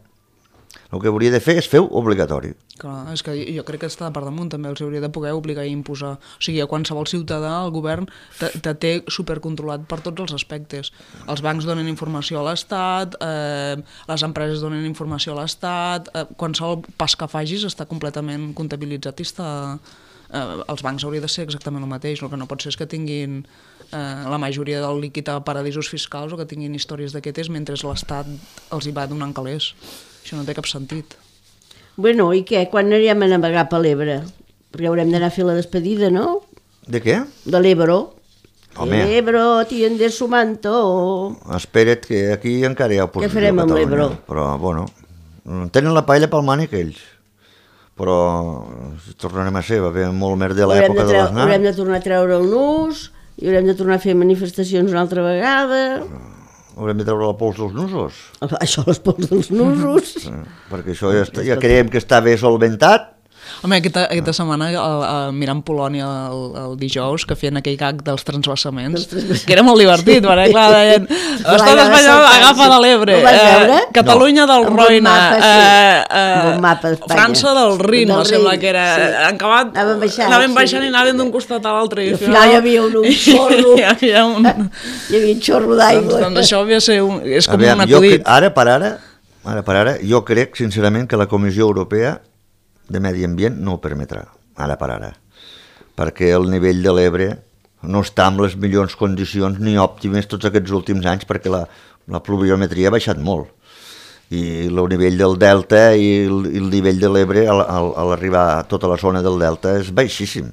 [SPEAKER 2] el que hauria de fer és fer-ho obligatori.
[SPEAKER 3] Clar, és que jo crec que està per damunt, també els hauria de poder obligar i imposar. O sigui, a qualsevol ciutadà, el govern te, te té supercontrolat per tots els aspectes. Els bancs donen informació a l'Estat, eh, les empreses donen informació a l'Estat, eh, qualsevol pas que facis està completament comptabilitzat i està... Eh, els bancs hauria de ser exactament el mateix, el que no pot ser és que tinguin eh, la majoria del líquid a paradisos fiscals o que tinguin històries d'aquestes mentre l'Estat els hi va donant calés. Això no té cap sentit.
[SPEAKER 1] Bueno, i què? Quan anirem a navegar per l'Ebre? Perquè haurem d'anar a fer la despedida, no?
[SPEAKER 2] De què?
[SPEAKER 1] De l'Ebro.
[SPEAKER 2] Home.
[SPEAKER 1] El Ebro tiende su manto.
[SPEAKER 2] Espera't, que aquí encara hi ha oposició.
[SPEAKER 1] Què farem
[SPEAKER 2] a
[SPEAKER 1] amb
[SPEAKER 2] Catalunya.
[SPEAKER 1] l'Ebro?
[SPEAKER 2] Però, bueno, tenen la paella pel mànic ells. Però tornarem a ser, va haver molt merder a
[SPEAKER 1] Haurem de,
[SPEAKER 2] l'època de
[SPEAKER 1] treu,
[SPEAKER 2] l'Aznar.
[SPEAKER 1] haurem de tornar a treure el nus i haurem de tornar a fer manifestacions una altra vegada.
[SPEAKER 2] Haurem de treure la pols dels nusos.
[SPEAKER 1] Això, les pols dels nusos.
[SPEAKER 2] Eh, perquè això ja, està, ja creiem que està bé solventat.
[SPEAKER 3] Home, aquesta, aquesta setmana, el, el, mirant Polònia el, el dijous, que feien aquell gag dels transvasaments, que era molt divertit, perquè clar, deien l'estat espanyol agafa de l'Ebre,
[SPEAKER 1] Ho vas veure?
[SPEAKER 3] eh, Catalunya del
[SPEAKER 1] Amb un
[SPEAKER 3] Roine,
[SPEAKER 1] mapa, sí.
[SPEAKER 3] eh,
[SPEAKER 1] Amb un mapa
[SPEAKER 3] eh,
[SPEAKER 1] d'Espanya.
[SPEAKER 3] França del Rin,
[SPEAKER 1] Del
[SPEAKER 3] no sembla
[SPEAKER 1] Rin,
[SPEAKER 3] que era...
[SPEAKER 1] sí.
[SPEAKER 3] Han acabat,
[SPEAKER 1] Anaven baixant,
[SPEAKER 3] anaven
[SPEAKER 1] sí.
[SPEAKER 3] baixant i anaven d'un costat a l'altre.
[SPEAKER 1] I al final hi havia un, un xorro.
[SPEAKER 3] Hi havia un...
[SPEAKER 1] Hi havia un xorro
[SPEAKER 3] doncs,
[SPEAKER 1] d'aigua.
[SPEAKER 3] doncs això havia de ser un, és com
[SPEAKER 2] Aviam,
[SPEAKER 3] un
[SPEAKER 2] jo
[SPEAKER 3] acudit.
[SPEAKER 2] cre- ara per ara, ara per ara, jo crec sincerament que la Comissió Europea de Medi Ambient no ho permetrà, ara per ara, perquè el nivell de l'Ebre no està en les millors condicions ni òptimes tots aquests últims anys, perquè la, la pluviometria ha baixat molt i el nivell del delta i el, i el nivell de l'Ebre al, al, a l'arribar a tota la zona del delta és baixíssim.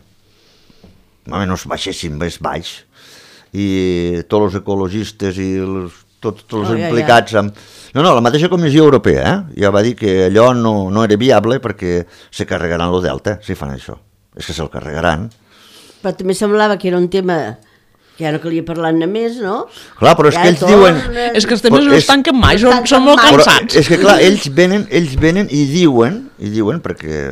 [SPEAKER 2] Home, no és baixíssim, és baix. I tots els ecologistes i els, tots, tots els
[SPEAKER 1] Oh, ja,
[SPEAKER 2] implicats amb... No, no, la mateixa Comissió Europea eh? ja va dir que allò no, no era viable perquè se carregaran el delta si fan això. És que se'l carregaran.
[SPEAKER 1] Però també semblava que era un tema que ja no calia parlar-ne més, no?
[SPEAKER 2] Clar, però és
[SPEAKER 1] Ja
[SPEAKER 2] que ells
[SPEAKER 1] torna-
[SPEAKER 2] diuen...
[SPEAKER 3] És que els temes
[SPEAKER 2] Però
[SPEAKER 3] no
[SPEAKER 2] és-
[SPEAKER 3] es tanquen mai,
[SPEAKER 1] no
[SPEAKER 3] són,
[SPEAKER 1] tanquen
[SPEAKER 3] són molt
[SPEAKER 1] mai.
[SPEAKER 2] Però
[SPEAKER 3] cansats.
[SPEAKER 2] és que clar, ells venen, ells venen i diuen, i diuen, perquè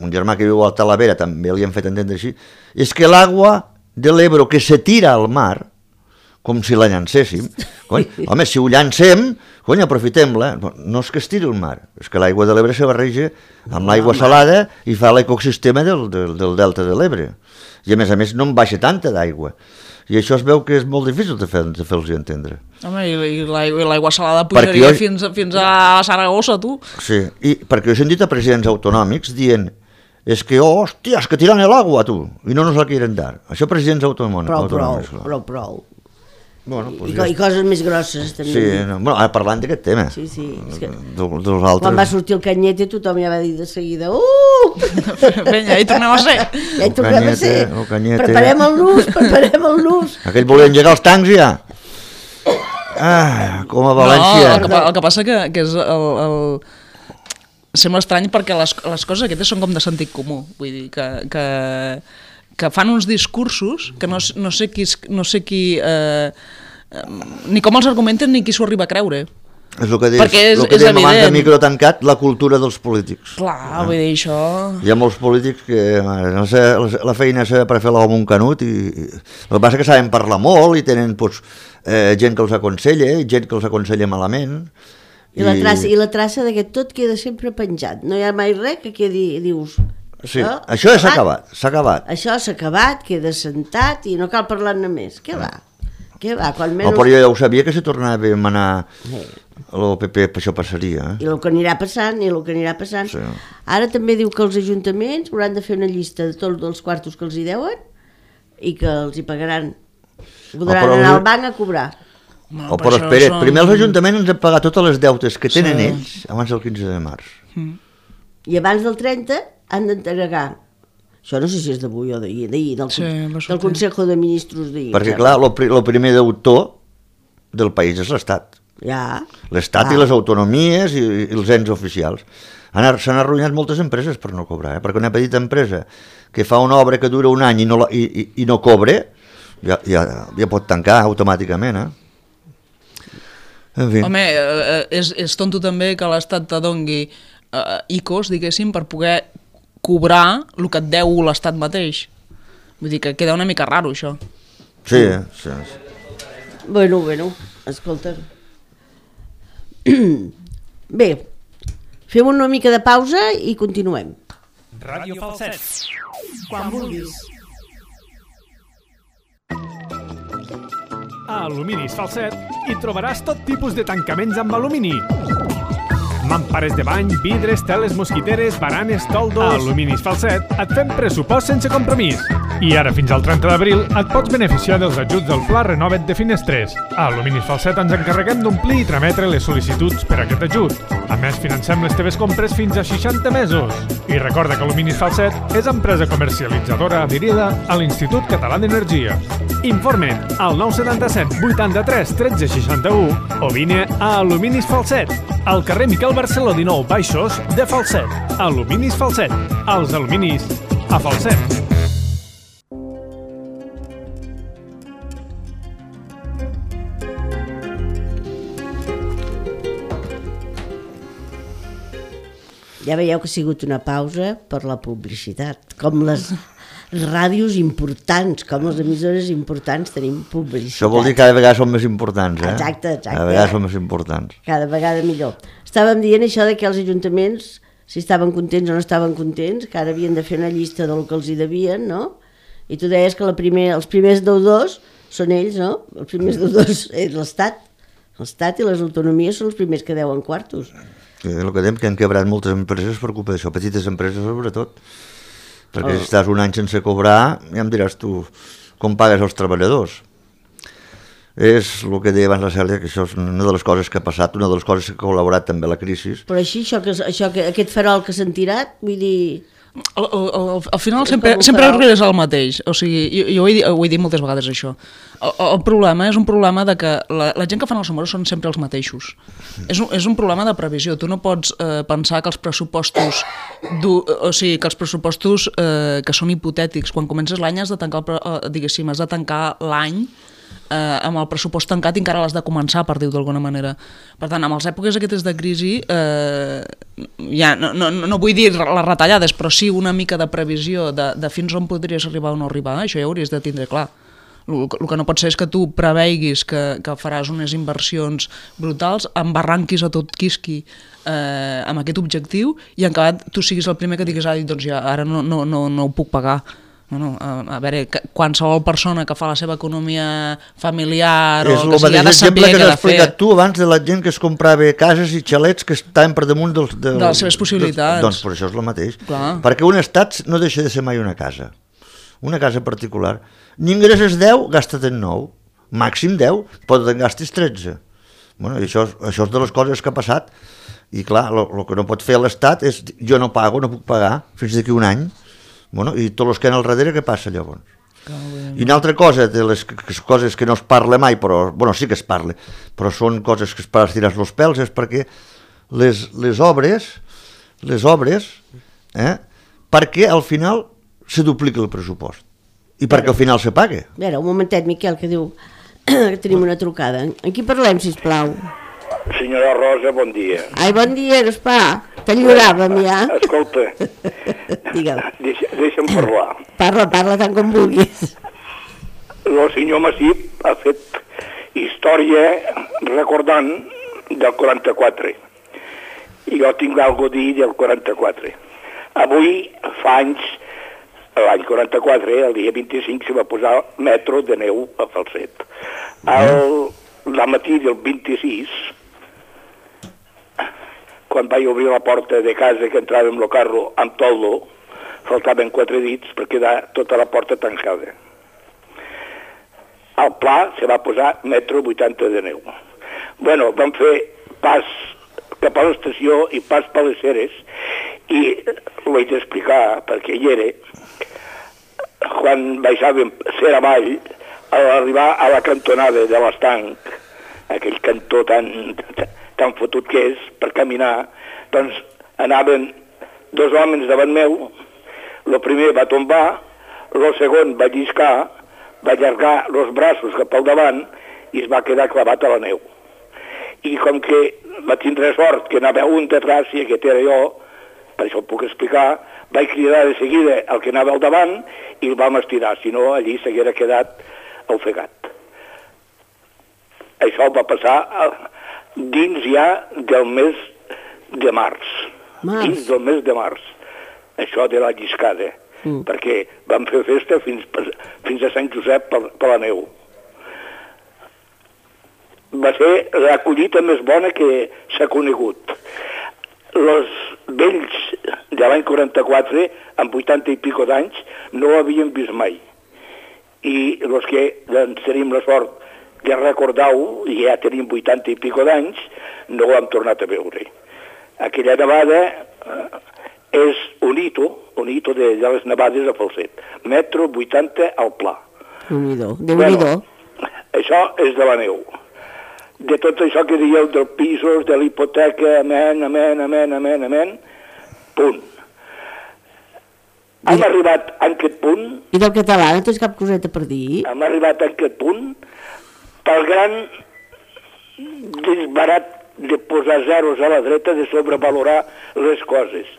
[SPEAKER 2] un germà que viu a Talavera també li han fet entendre així, és que l'aigua de l'Ebro que se tira al mar, com si la llancéssim, cony, home, si ho llancem, cony, aprofitem-la. No és que es tiri al mar, és que l'aigua de l'Ebre se barreja amb l'aigua salada i fa l'ecosistema del, del, del delta de l'Ebre. I a més a més no en baixa tanta d'aigua. I això es veu que és molt difícil de, fer, de fer-los entendre.
[SPEAKER 3] Home, i, i l'aigua i l'aigua salada
[SPEAKER 2] Perquè
[SPEAKER 3] pujaria
[SPEAKER 2] jo-
[SPEAKER 3] fins, a- fins a Saragossa, tu.
[SPEAKER 2] Sí, i perquè jo he sentit a presidents autonòmics dient és que, oh, hòstia, és que tiran l'aigua, tu, i no nos la quieren dar. Això presidents autonòmics.
[SPEAKER 1] Prou, prou,
[SPEAKER 2] autonòmics, clar.
[SPEAKER 1] prou, prou.
[SPEAKER 2] Bueno,
[SPEAKER 1] I,
[SPEAKER 2] pues
[SPEAKER 1] co-
[SPEAKER 2] ja
[SPEAKER 1] I coses més grosses, també.
[SPEAKER 2] Sí, no, bueno, ara parlant d'aquest tema.
[SPEAKER 1] Sí, sí. És que
[SPEAKER 2] De, dels altres...
[SPEAKER 1] quan va sortir el Canyete tothom ja va dir de seguida uh!
[SPEAKER 3] Vinga, hi tornem a ser.
[SPEAKER 1] Ja hi tornem a
[SPEAKER 2] Canyete,
[SPEAKER 1] ser.
[SPEAKER 2] el Canyete.
[SPEAKER 1] Preparem el nus, preparem el nus.
[SPEAKER 2] Aquell volia engegar els tancs ja. Ah, com a València.
[SPEAKER 3] No, el que, pa- el que passa que, que és el, el... Sembla estrany perquè les, les coses aquestes són com de sentit comú. Vull dir que, que, que fan uns discursos que no, no sé qui, no sé qui eh, eh, ni com els argumenten ni qui s'ho arriba a creure.
[SPEAKER 2] És el que deies,
[SPEAKER 3] Perquè és,
[SPEAKER 2] el que
[SPEAKER 3] és
[SPEAKER 2] dèiem abans de
[SPEAKER 3] evident.
[SPEAKER 2] micro tancat, la cultura dels polítics.
[SPEAKER 3] Clar, vull dir, això...
[SPEAKER 2] Hi ha molts polítics que no sé, la feina és per fer l'home un canut i, i el que passa és que saben parlar molt i tenen pues, eh, gent que els aconsella i gent que els aconsella malament.
[SPEAKER 1] I, I la traça, i la traça d'aquest tot queda sempre penjat. No hi ha mai res que quedi, dius...
[SPEAKER 2] Sí, això, això ja s'ha acabat, s'ha acabat.
[SPEAKER 1] Això s'ha acabat, queda sentat i no cal parlar-ne més. Què va? Què va? Quan menys...
[SPEAKER 2] No, però jo ja ho sabia que si tornava a manar el P P això passaria. Eh?
[SPEAKER 1] I el que anirà passant, i el que anirà passant.
[SPEAKER 2] Sí.
[SPEAKER 1] Ara també diu que els ajuntaments hauran de fer una llista de tots els quartos que els hi deuen i que els hi pagaran. Podran
[SPEAKER 2] oh,
[SPEAKER 1] anar al banc a cobrar.
[SPEAKER 3] No,
[SPEAKER 2] oh, però espera, són... primer els ajuntaments ens han pagat totes les deutes que tenen sí. ells abans del quinze de març.
[SPEAKER 3] Mm.
[SPEAKER 1] I abans del trenta han d'entregar. Això no sé si és d'avui o d'ahir, d'ahir, del,
[SPEAKER 3] sí,
[SPEAKER 1] del Consejo de Ministros d'ahir.
[SPEAKER 2] Perquè, clar, el primer deutor del país és l'Estat.
[SPEAKER 1] Ja.
[SPEAKER 2] L'Estat ah. i les autonomies i, i els ens oficials. S'han arruïnat moltes empreses per no cobrar, eh? Perquè una petita empresa que fa una obra que dura un any i no, la, i, i, i no cobre, ja, ja, ja pot tancar automàticament, eh? En fi.
[SPEAKER 3] Home, és, és tonto també que l'Estat te dongui uh, I C Os, diguéssim, per poder cobrar el que et deu l'Estat mateix. Vull dir que queda una mica raro, això.
[SPEAKER 2] Sí, sí.
[SPEAKER 1] Bueno, bueno, escolta. Bé, fem una mica de pausa i continuem.
[SPEAKER 5] Ràdio Falset.
[SPEAKER 1] Quan vulguis.
[SPEAKER 5] A Aluminis Falset hi trobaràs tot tipus de tancaments amb alumini. Mampares de bany, vidres, teles mosquiteres, baranes, toldos... A Aluminis Falset et fem pressupost sense compromís. I ara fins al trenta d'abril et pots beneficiar dels ajuts del Pla Renova't de Finestres. A Aluminis Falset ens encarreguem d'omplir i trametre les sol·licituds per a aquest ajut. A més, financem les teves compres fins a seixanta mesos. I recorda que Aluminis Falset és empresa comercialitzadora adherida a l'Institut Català d'Energia. Informa't al nou setanta-set vuitanta-tres tretze seixanta-u o vine a Aluminis Falset, al carrer Miquel Barceló dinou Baixos de Falset. Aluminis Falset. Els aluminis a Falset.
[SPEAKER 1] Ja veieu que ha sigut una pausa per la publicitat. Com les ràdios importants, com les emissores importants tenim publicitat.
[SPEAKER 2] Això vol dir que cada vegada són més importants, eh?
[SPEAKER 1] Exacte, exacte.
[SPEAKER 2] Cada vegada són més importants.
[SPEAKER 1] Cada vegada millor. Estàvem dient això de que els ajuntaments, si estaven contents o no estaven contents, que ara havien de fer una llista del que els hi devien, no? I tu deies que la primer, els primers deudors són ells, no? Els primers deudors és l'Estat. L'Estat i les autonomies són els primers que deuen quartos.
[SPEAKER 2] Sí, el que dèiem que han quebrat moltes empreses per culpa d'això, petites empreses sobretot. Perquè oh. si estàs un any sense cobrar, ja em diràs tu com pagues els treballadors. És el que deia abans la Cèlia, que això és una de les coses que ha passat, una de les coses que ha col·laborat també a la crisi.
[SPEAKER 1] Però així, això que, això que, aquest farol que s'han tirat, vull dir...
[SPEAKER 3] Al, al, al final sempre, sempre arribes al mateix, o sigui, jo, jo ho, he dit, ho he dit moltes vegades això. El, el problema és un problema de que la, la gent que fan els números són sempre els mateixos. És un, és un problema de previsió. Tu no pots eh, pensar que els pressupostos, du, o sigui, que els pressupostos eh, que són hipotètics, quan comences l'any has de tancar, el, eh, diguéssim, has de tancar l'any eh, amb el pressupost tancat i encara l'has de començar, per dir-ho d'alguna manera. Per tant, amb les èpoques aquestes de crisi, eh, ja, no, no, no vull dir les retallades, però sí una mica de previsió de, de fins on podries arribar o no arribar, això ja hauries de tindre clar. El, el que no pot ser és que tu preveiguis que, que faràs unes inversions brutals, embarranquis a tot quisqui eh, amb aquest objectiu i en acabat tu siguis el primer que diguis ah, doncs ja, ara no, no, no, no ho puc pagar. Bueno, a, a veure, qualsevol persona que fa la seva economia familiar o que sigui, ha de saber què ha de fer. És el mateix exemple que has explicat
[SPEAKER 2] tu abans de la gent que es comprava cases i xalets que estaven per damunt dels,
[SPEAKER 3] de, de les seves possibilitats.
[SPEAKER 2] Dels, doncs per això és el mateix.
[SPEAKER 3] Clar.
[SPEAKER 2] Perquè un estat no deixa de ser mai una casa. Una casa particular. Ni ingresses deu, gasta't en nou. Màxim deu, pot en gastis tretze. Bueno, i això, això és de les coses que ha passat. I clar, el que no pot fer l'Estat és jo no pago, no puc pagar fins d'aquí un any. Bueno, i tots els que han al darrere, què passa llavors? I una altra cosa, de les coses que no es parla mai, però, bueno, sí que es parla, però són coses que es per estirar els pèls, és perquè les, les obres, les obres, eh, perquè al final se duplica el pressupost. I perquè al final se pague.
[SPEAKER 1] A veure, un momentet, Miquel, que diu que tenim una trucada. En qui parlem, sisplau?
[SPEAKER 6] Senyora Rosa, bon dia.
[SPEAKER 1] Ai, bon dia, Gaspar. T'enyoràvem, ja.
[SPEAKER 6] Escolta,
[SPEAKER 1] Digue'm.
[SPEAKER 6] deixa, deixa'm parlar.
[SPEAKER 1] Parla, parla tant com vulguis.
[SPEAKER 6] El senyor Massip ha fet història recordant del quaranta-quatre. I jo tinc alguna cosa a dir del quaranta-quatre. Avui, fa anys, l'any quaranta-quatre, el dia vint-i-cinc, se va posar metro de neu a Falset. El, la matí del vint-i-sis, quan vaig obrir la porta de casa que entrava amb el carro amb toldo, faltaven quatre dits per quedar tota la porta tancada. Al pla se va posar metro vuitanta de neu. Bueno, vam fer pas cap a l'estació i pas per les Ceres, i ho he d'explicar perquè hi era. Quan baixàvem Cera avall, a l'arribar a la cantonada de l'Estanc, aquell cantó tan, tan fotut que és per caminar, doncs anaven dos homes davant meu, el primer va tombar, el segon va lliscar, va allargar els braços cap al davant i es va quedar clavat a la neu. I com que va tindre sort que anava un detrás, i aquest era jo, per això ho puc explicar, vaig cridar de seguida el que anava al davant i el vam estirar, si no allí s'haguera quedat ofegat. Això va passar dins ja del mes de març.
[SPEAKER 1] Març.
[SPEAKER 6] Dins del mes de març. Això de la lliscada. Mm. Perquè vam fer festa fins, fins a Sant Josep per, per la neu. Va ser la collita més bona que s'ha conegut. Els vells de l'any quaranta-quatre, amb vuitanta i pico d'anys, no ho havien vist mai. I els que doncs, tenim la sort de recordar-ho, i ja tenim vuitanta i pico d'anys, no ho hem tornat a veure. Aquella nevada eh, és un hito, un hito de, de les nevades a Falset. Metro vuitanta al pla.
[SPEAKER 1] Déu-n'hi-do, Déu-n'hi-do.
[SPEAKER 6] Bueno, això és de la neu. De tot això que dieu dels pisos, de la hipoteca, amen, amen, amen, amen, amen, punt. Hem I... arribat a aquest punt...
[SPEAKER 1] I del català no tens cap coseta per dir?
[SPEAKER 6] Hem arribat a aquest punt pel gran disbarat de posar zeros a la dreta, de sobrevalorar les coses.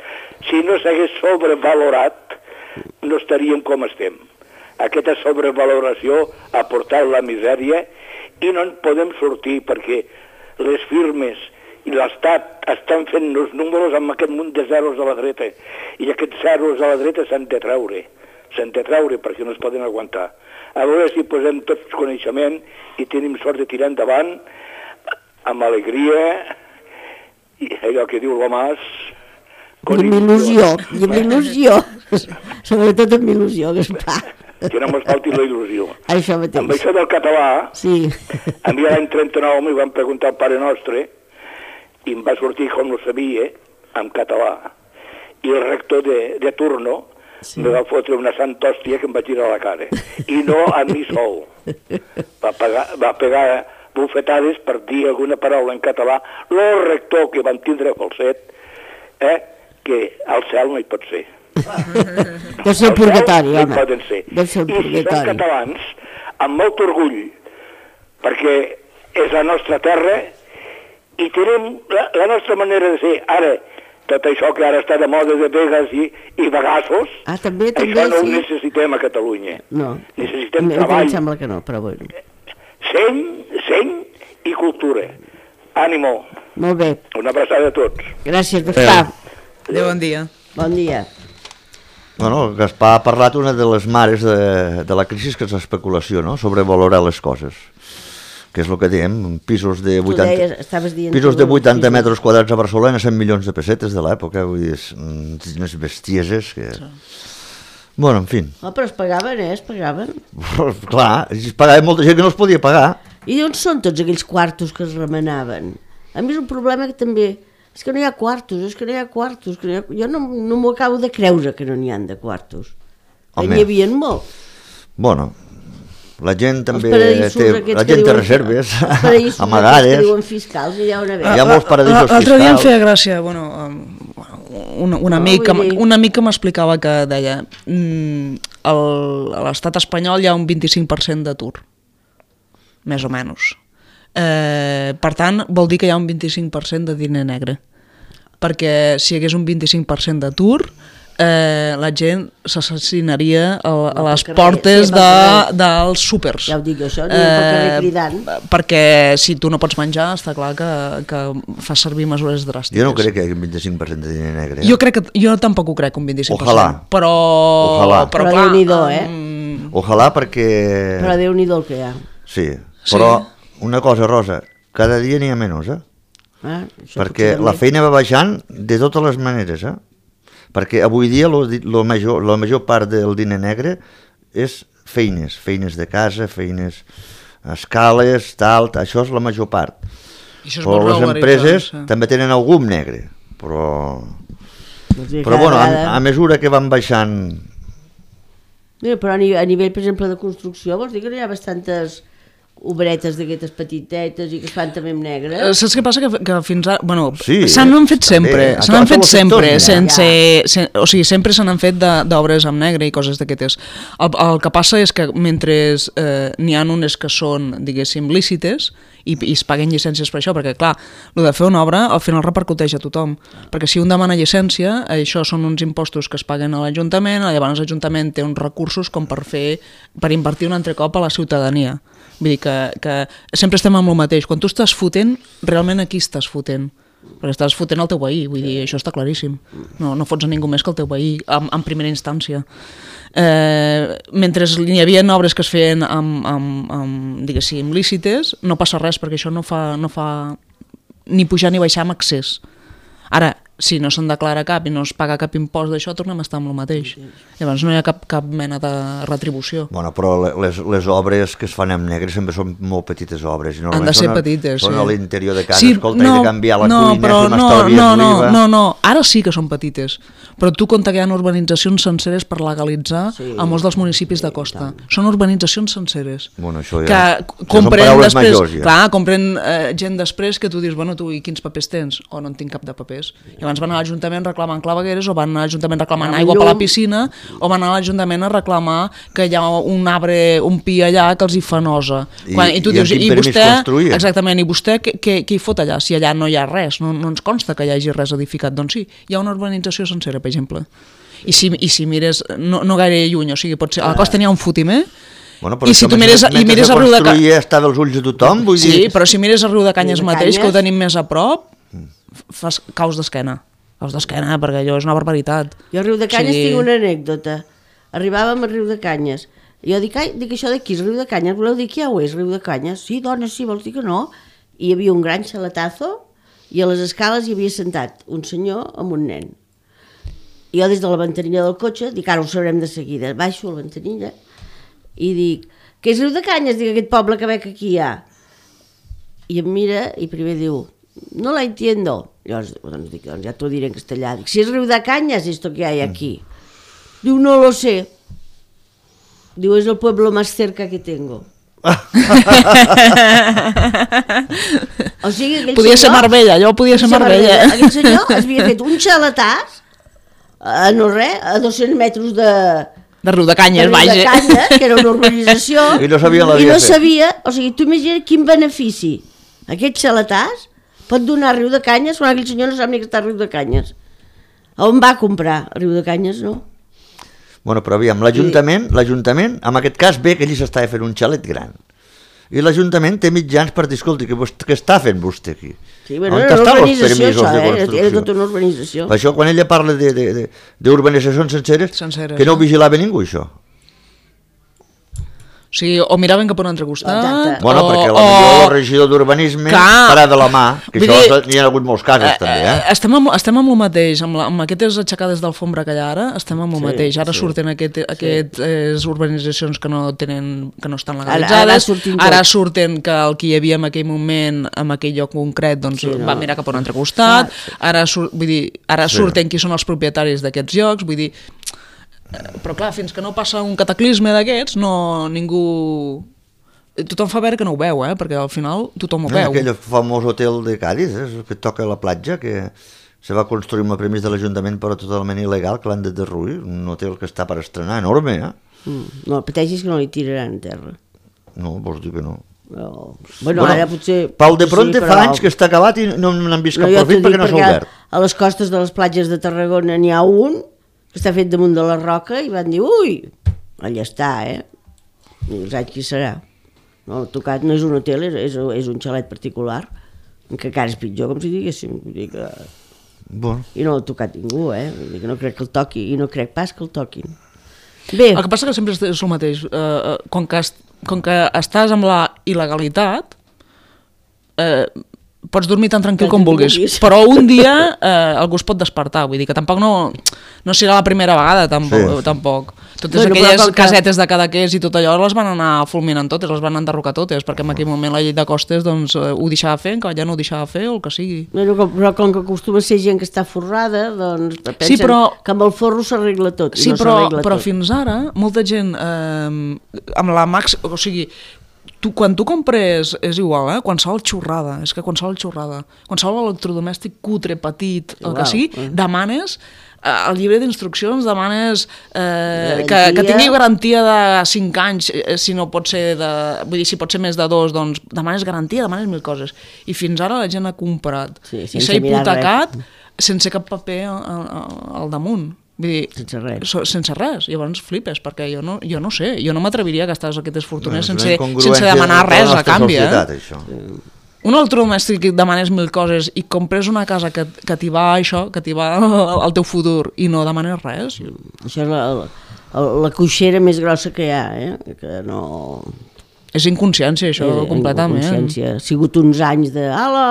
[SPEAKER 6] Si no s'hagués sobrevalorat, no estaríem com estem. Aquesta sobrevaloració ha portat la misèria i no en podem sortir perquè les firmes i l'Estat estan fent els números amb aquest munt de zeros a la dreta, i aquests zeros a la dreta s'han de treure, s'han de treure perquè no es poden aguantar. A veure si posem tots coneixement i tenim sort de tirar endavant amb alegria, i allò que diu l'Omàs,
[SPEAKER 1] I amb il·lusió, i amb il·lusió, sobretot amb il·lusió, Gaspar.
[SPEAKER 6] Que no me'n falti la il·lusió.
[SPEAKER 1] Això mateix.
[SPEAKER 6] Amb això del català,
[SPEAKER 1] sí.
[SPEAKER 6] a mi l'any trenta-nou m'hi van preguntar al Pare Nostre i em va sortir com no sabia, en català. I el rector de, de turno sí. me va fotre una santa hòstia que em va tirar a la cara. I no a mi sol. Va, pagar, va pegar bufetades per dir alguna paraula en català. El rector que van tindre a Falset, eh, que al cel no hi pot ser.
[SPEAKER 1] Deu ser el purgatori, home.
[SPEAKER 6] No poden ser.
[SPEAKER 1] Deu ser el purgatori.
[SPEAKER 6] I si som catalans, amb molt orgull, perquè és la nostra terra i tenim la, la nostra manera de ser. Ara, tot això que ara està de moda de vegas i, i vegassos,
[SPEAKER 1] ah, també, també,
[SPEAKER 6] això no
[SPEAKER 1] sí.
[SPEAKER 6] ho necessitem a Catalunya.
[SPEAKER 1] No,
[SPEAKER 6] necessitem
[SPEAKER 1] a
[SPEAKER 6] treball.
[SPEAKER 1] Em sembla que no, però bueno.
[SPEAKER 6] Seny, seny i cultura. Ànimo.
[SPEAKER 1] Molt bé.
[SPEAKER 6] Una abraçada a tots.
[SPEAKER 1] Gràcies, Gaspar.
[SPEAKER 3] Adéu, bon dia.
[SPEAKER 1] Bon dia.
[SPEAKER 2] Bueno, Gaspar ha parlat una de les mares de, de la crisi, que és l'especulació, no? Sobrevalorar les coses, que és el que diem, pisos de vuitanta,
[SPEAKER 1] deies, estaves dient
[SPEAKER 2] pisos de vuitanta
[SPEAKER 1] pisos.
[SPEAKER 2] metres quadrats a Barcelona, cent milions de pessetes de l'època, vull dir, és, unes bestieses que... Sí. Bueno, en fi.
[SPEAKER 1] Oh, però es pagaven, eh? Es pagaven.
[SPEAKER 2] Clar, es pagava molta gent que no es podia pagar.
[SPEAKER 1] I d'on són tots aquells quartos que es remenaven? A mi és un problema que també... És que no hi ha quartos, és que no hi ha quartos. Que no hi ha... Jo no, no m'ho acabo de creure que no n'hi ha de quartos. Home. N'hi havia molt.
[SPEAKER 2] Bueno, la gent també
[SPEAKER 1] té...
[SPEAKER 2] La gent té reserves,
[SPEAKER 1] amagades. Els paradisos que diuen fiscals, hi ha una vegada.
[SPEAKER 2] Hi ha molts paradisos fiscals.
[SPEAKER 3] L'altre dia em feia gràcia, bueno, un, un, amic, un amic que m'explicava que deia... Mm, el, a l'estat espanyol hi ha un vint-i-cinc per cent d'atur, més o menys. Eh, per tant, vol dir que hi ha un vint-i-cinc per cent de diner negre. Perquè si hi hagués un vint-i-cinc per cent d'atur, eh, la gent s'assassinaria a, a les
[SPEAKER 1] carrer,
[SPEAKER 3] portes
[SPEAKER 1] sí,
[SPEAKER 3] de,
[SPEAKER 1] carrer.
[SPEAKER 3] dels súpers.
[SPEAKER 1] Ja ho dic jo, això, ni pel carrer cridant.
[SPEAKER 3] Perquè si tu no pots menjar, està clar que, que fas servir mesures dràstiques.
[SPEAKER 2] Jo no crec que hi hagi un vint-i-cinc per cent de diner negre. Eh?
[SPEAKER 3] Jo, crec que, jo tampoc ho crec, un vint-i-cinc per cent.
[SPEAKER 2] Ojalà.
[SPEAKER 3] Però,
[SPEAKER 2] Ojalà.
[SPEAKER 3] però,
[SPEAKER 1] Però
[SPEAKER 3] clar,
[SPEAKER 1] Déu-n'hi-do, eh?
[SPEAKER 3] um,
[SPEAKER 2] Ojalà perquè...
[SPEAKER 1] Però Déu-n'hi-do el que hi ha.
[SPEAKER 2] Sí, però una cosa, Rosa, cada dia n'hi ha menys, eh?
[SPEAKER 1] Ah, això
[SPEAKER 2] Perquè
[SPEAKER 1] potser
[SPEAKER 2] la
[SPEAKER 1] també.
[SPEAKER 2] feina va baixant de totes les maneres, eh? Perquè avui dia lo, lo major, la major part del diner negre és feines, feines de casa, feines a escales, tal, això és la major part.
[SPEAKER 3] això és
[SPEAKER 2] Però
[SPEAKER 3] molt
[SPEAKER 2] les
[SPEAKER 3] regularitzat,
[SPEAKER 2] empreses
[SPEAKER 3] sí.
[SPEAKER 2] també tenen algun negre, però...
[SPEAKER 1] Doncs bé,
[SPEAKER 2] Però
[SPEAKER 1] cada
[SPEAKER 2] bueno, a,
[SPEAKER 1] vegada-
[SPEAKER 2] a mesura que van baixant...
[SPEAKER 1] Mira, però a nivell, a nivell, per exemple, de construcció, vols dir que no hi ha bastantes obretes d'aquestes petitetes i que es fan també amb negre?
[SPEAKER 3] Eh, Saps què passa? Que, que fins ara... Bueno,
[SPEAKER 2] Sí,
[SPEAKER 3] se n'han fet
[SPEAKER 2] també.
[SPEAKER 3] sempre,
[SPEAKER 2] A
[SPEAKER 3] se n'han
[SPEAKER 2] tots
[SPEAKER 3] fet
[SPEAKER 2] els
[SPEAKER 3] sempre,
[SPEAKER 2] sectors n'hi ha.
[SPEAKER 3] sense, sen, o sigui, sempre se n'han fet de- d'obres amb negre i coses d'aquestes. El, el que passa és que mentre eh, n'hi ha unes que són, diguéssim, lícites i, i es paguen llicències per això, perquè clar, el de fer una obra al final repercuteix a tothom, perquè si un demana llicència, això són uns impostos que es paguen a l'Ajuntament, llavors l'Ajuntament té uns recursos com per fer, per invertir un altre cop a la ciutadania. Vull dir que, que sempre estem amb el mateix. Quan tu estàs fotent, realment aquí estàs fotent. Perquè estàs fotent el teu veí, vull dir, això està claríssim. No, no fots a ningú més que el teu veí, en, en primera instància. Eh, mentre hi havia obres que es feien amb, amb, amb diguéssim, lícites, no passa res, perquè això no fa, no fa ni pujar ni baixar amb accés. Ara, si no se'n declara cap i no es paga cap impost d'això, tornem a estar amb el mateix. Llavors no hi ha cap, cap mena de retribució.
[SPEAKER 2] Bueno, però les, les obres que es fan amb negre sempre són molt petites obres. I
[SPEAKER 3] Han de
[SPEAKER 2] normalment
[SPEAKER 3] ser
[SPEAKER 2] són a-
[SPEAKER 3] petites,
[SPEAKER 2] Són
[SPEAKER 3] sí.
[SPEAKER 2] a l'interior de casa,
[SPEAKER 3] Sí,
[SPEAKER 2] escolta, no, he de canviar la
[SPEAKER 3] no,
[SPEAKER 2] cuina,
[SPEAKER 3] però
[SPEAKER 2] fer
[SPEAKER 3] no,
[SPEAKER 2] m'estalvies
[SPEAKER 3] no, no,
[SPEAKER 2] l'oliva...
[SPEAKER 3] no, no, ara sí que són petites, però tu compta que hi ha urbanitzacions senceres per legalitzar
[SPEAKER 1] Sí,
[SPEAKER 3] a molts dels municipis de costa. Són urbanitzacions senceres.
[SPEAKER 2] Bueno, això
[SPEAKER 3] que
[SPEAKER 2] ja... això són
[SPEAKER 3] compren
[SPEAKER 2] paraules
[SPEAKER 3] després,
[SPEAKER 2] majors, ja.
[SPEAKER 3] clar, compren eh, gent després que tu dius, bueno, tu, i quins papers tens? O no en tinc cap de papers. I abans van a l'Ajuntament reclamant clavegueres, o van a l'Ajuntament reclamant
[SPEAKER 1] Amb
[SPEAKER 3] aigua per la
[SPEAKER 1] llum.
[SPEAKER 3] piscina, o van a l'Ajuntament a reclamar que hi ha un arbre, un pi allà que els hi fa nosa.
[SPEAKER 2] I-
[SPEAKER 3] Quan, i tu
[SPEAKER 2] i amb
[SPEAKER 3] dius,
[SPEAKER 2] quin
[SPEAKER 3] i
[SPEAKER 2] permís
[SPEAKER 3] vostè,
[SPEAKER 2] construïen?
[SPEAKER 3] exactament, i vostè què, què, què hi fot allà? Si allà no hi ha res, no, no ens consta que hi hagi res edificat. Doncs sí, hi ha una urbanització sencera, per exemple. I si, i si mires, no, no gaire lluny, o sigui, pot ser, a la costa n'hi ha un fotimer,
[SPEAKER 2] Bueno, però
[SPEAKER 3] i si
[SPEAKER 2] això,
[SPEAKER 3] tu mires,
[SPEAKER 2] mentre
[SPEAKER 3] i mires
[SPEAKER 2] se
[SPEAKER 3] a Riu de Canyes...
[SPEAKER 2] construïa estava als ulls de tothom, vull
[SPEAKER 3] Sí,
[SPEAKER 2] dir...
[SPEAKER 3] però si mires a Riu de Canyes
[SPEAKER 1] Riu de
[SPEAKER 3] mateix, que ho
[SPEAKER 1] Canyes.
[SPEAKER 3] tenim més a prop, fas caus d'esquena. Caus d'esquena, perquè allò és una barbaritat.
[SPEAKER 1] Jo a Riu de Canyes
[SPEAKER 3] O sigui,
[SPEAKER 1] tinc una anècdota. Arribàvem a Riu de Canyes. I jo dic, ai, dic això d'aquí és Riu de Canyes. Voleu dir que ja ho és, Riu de Canyes? Sí, dona, sí, vols dir que no? I hi havia un gran xalatazo i a les escales hi havia sentat un senyor amb un nen. I jo des de la ventanilla del cotxe, dic, ara ho sabrem de seguida. Baixo a la ventanilla i dic, què és Riu de Canyes? Dic, aquest poble que veig que aquí hi ha. I em mira i primer diu, no la entiendo. Llavors, doncs dic, doncs ja t'ho diré en castellà. Dic, si és Riu de Canyes, esto que hay aquí. Diu, no lo sé. Diu, es el pueblo más cerca que tengo. O sigui, aquell
[SPEAKER 3] Podia ser
[SPEAKER 1] senyor-
[SPEAKER 3] Marbella, allò podia ser Marbella.
[SPEAKER 1] Aquell senyor es havia fet un xalatàs a no res, a dos-cents metres de,
[SPEAKER 3] De Riu de
[SPEAKER 1] de
[SPEAKER 3] Canyes,
[SPEAKER 1] Riu de
[SPEAKER 3] vaja.
[SPEAKER 1] Canyes, que era una urbanització,
[SPEAKER 2] I no sabia la
[SPEAKER 1] i
[SPEAKER 2] via
[SPEAKER 1] no
[SPEAKER 2] fer.
[SPEAKER 1] sabia, o sigui, tu imagina quin benefici aquest xalatàs pot donar a Riu de Canyes quan aquell senyor no sap ni que està a Riu de Canyes. On va comprar? A Riu de Canyes no.
[SPEAKER 2] Bueno, però aviam, l'Ajuntament, l'Ajuntament, en aquest cas ve que allí s'estava fent un xalet gran. I l'Ajuntament té mitjans per dir, escolti, què, vostè, què està fent vostè aquí?
[SPEAKER 1] Sí, bueno,
[SPEAKER 2] On
[SPEAKER 1] era una
[SPEAKER 2] estan els
[SPEAKER 1] urbanització,
[SPEAKER 2] permisos
[SPEAKER 1] això,
[SPEAKER 2] de
[SPEAKER 1] eh?
[SPEAKER 2] construcció?
[SPEAKER 1] Era tota una urbanització.
[SPEAKER 2] Per això, quan ella parla de- de- de- d'urbanitzacions senceres,
[SPEAKER 3] Senceres,
[SPEAKER 2] que no
[SPEAKER 3] no?
[SPEAKER 2] ho vigilava ningú, això.
[SPEAKER 3] O sigui, o miraven cap a un altre costat,
[SPEAKER 1] Exacte.
[SPEAKER 2] Bueno,
[SPEAKER 3] o,
[SPEAKER 2] perquè
[SPEAKER 3] o...
[SPEAKER 2] potser el regidor d'urbanisme
[SPEAKER 3] Clar.
[SPEAKER 2] farà de la mà, que
[SPEAKER 3] Vull
[SPEAKER 2] això
[SPEAKER 3] dir,
[SPEAKER 2] n'hi ha hagut molts casos, també, eh?
[SPEAKER 3] Estem amb, estem amb el mateix, amb, la, amb aquestes aixecades d'alfombra que hi ha ara, estem amb el
[SPEAKER 1] Sí,
[SPEAKER 3] mateix. Ara
[SPEAKER 1] sí.
[SPEAKER 3] surten aquest, aquestes eh, urbanitzacions que no tenen, que no estan
[SPEAKER 1] Ara- ara
[SPEAKER 3] legalitzades,
[SPEAKER 1] surtin
[SPEAKER 3] ara
[SPEAKER 1] tots.
[SPEAKER 3] surten que el que hi havia en aquell moment, en aquell lloc concret, doncs
[SPEAKER 1] Sí, no?
[SPEAKER 3] va mirar cap a un altre costat,
[SPEAKER 1] Ah, sí.
[SPEAKER 3] ara, sur, vull dir, ara
[SPEAKER 2] Sí.
[SPEAKER 3] surten qui són els propietaris d'aquests llocs, vull dir, eh, però clar, fins que no passa un cataclisme d'aquests, no, ningú... Tothom fa veure que no ho veu, eh? Perquè al final tothom ho
[SPEAKER 2] No,
[SPEAKER 3] veu.
[SPEAKER 2] aquell famós hotel de Cádiz, eh, que toca a la platja, que se va construir amb el permís de l'Ajuntament però totalment il·legal, que l'han de derruir, un hotel que està per estrenar, enorme, eh?
[SPEAKER 1] Mm. No, el pateixis que no li tiraran a terra.
[SPEAKER 2] No, vols dir que no.
[SPEAKER 1] No. Bueno, bueno, ara potser...
[SPEAKER 2] Pau de Pronte
[SPEAKER 1] sí,
[SPEAKER 2] fa anys que està acabat i no n'han vist cap
[SPEAKER 1] no,
[SPEAKER 2] profit perquè no s'ha obert.
[SPEAKER 1] A les costes de les platges de Tarragona n'hi ha un que està fet damunt de la roca i van dir, ui, allà està, eh? I no saps qui serà. No, el tocat no és un hotel, és, és, és un xalet particular, que encara és pitjor, com si diguéssim. Vull dir que...
[SPEAKER 2] Bueno.
[SPEAKER 1] I no l'ha tocat ningú, eh? Vull dir que no crec que el toqui, i no crec pas que el toquin. Bé.
[SPEAKER 3] El que passa que sempre és el mateix. Eh, com, que est, com que estàs amb la il·legalitat, eh, pots dormir tan tranquil com vulguis, vulguis, però un dia eh, algú es pot despertar, vull dir que tampoc no, no serà la primera vegada, tampoc. Sí. tampoc. Totes bueno, aquelles que... casetes de Cadaqués i tot allò les van anar fulminant totes, les van enderrocar totes, perquè en aquell moment la llei de costes doncs, ho deixava fer, que allà no ho deixava fer o el que sigui.
[SPEAKER 1] Bueno, però com que acostuma a ser gent que està forrada, doncs pensen
[SPEAKER 3] sí, però...
[SPEAKER 1] que amb el forro s'arregla tot.
[SPEAKER 3] Sí,
[SPEAKER 1] no
[SPEAKER 3] però, però
[SPEAKER 1] tot.
[SPEAKER 3] Fins ara, molta gent, eh, amb la max... o sigui, tu, quan tu compres, és igual, eh? Qualsevol xorrada, és que qualsevol xorrada, qualsevol electrodomèstic cutre, petit, el que sigui, eh. demanes... al llibre d'instruccions demanes eh, que, que tingui garantia de cinc anys, si no pot ser de, vull dir, si pot ser més de dos, doncs demanes garantia, demanes mil coses. I fins ara la gent ha comprat sí, i s'ha hipotecat sense cap paper al, al damunt. Vull dir,
[SPEAKER 1] sense res.
[SPEAKER 3] So, sense res. Llavors flipes, perquè jo no, jo no sé, jo no m'atreviria a gastar aquestes fortunes no, sense, sense demanar res a canvi.
[SPEAKER 2] Societat,
[SPEAKER 3] eh?
[SPEAKER 2] Això.
[SPEAKER 3] Un electrodomèstic que demanes mil coses i compres una casa que, que t'hi va això, que t'hi va al teu futur i no demanes res.
[SPEAKER 1] Això és la, la, la coixera més grossa que hi ha, eh? Que no...
[SPEAKER 3] És inconsciència, això, eh, completament.
[SPEAKER 1] Inconsciència. Ha sigut uns anys de... Ala,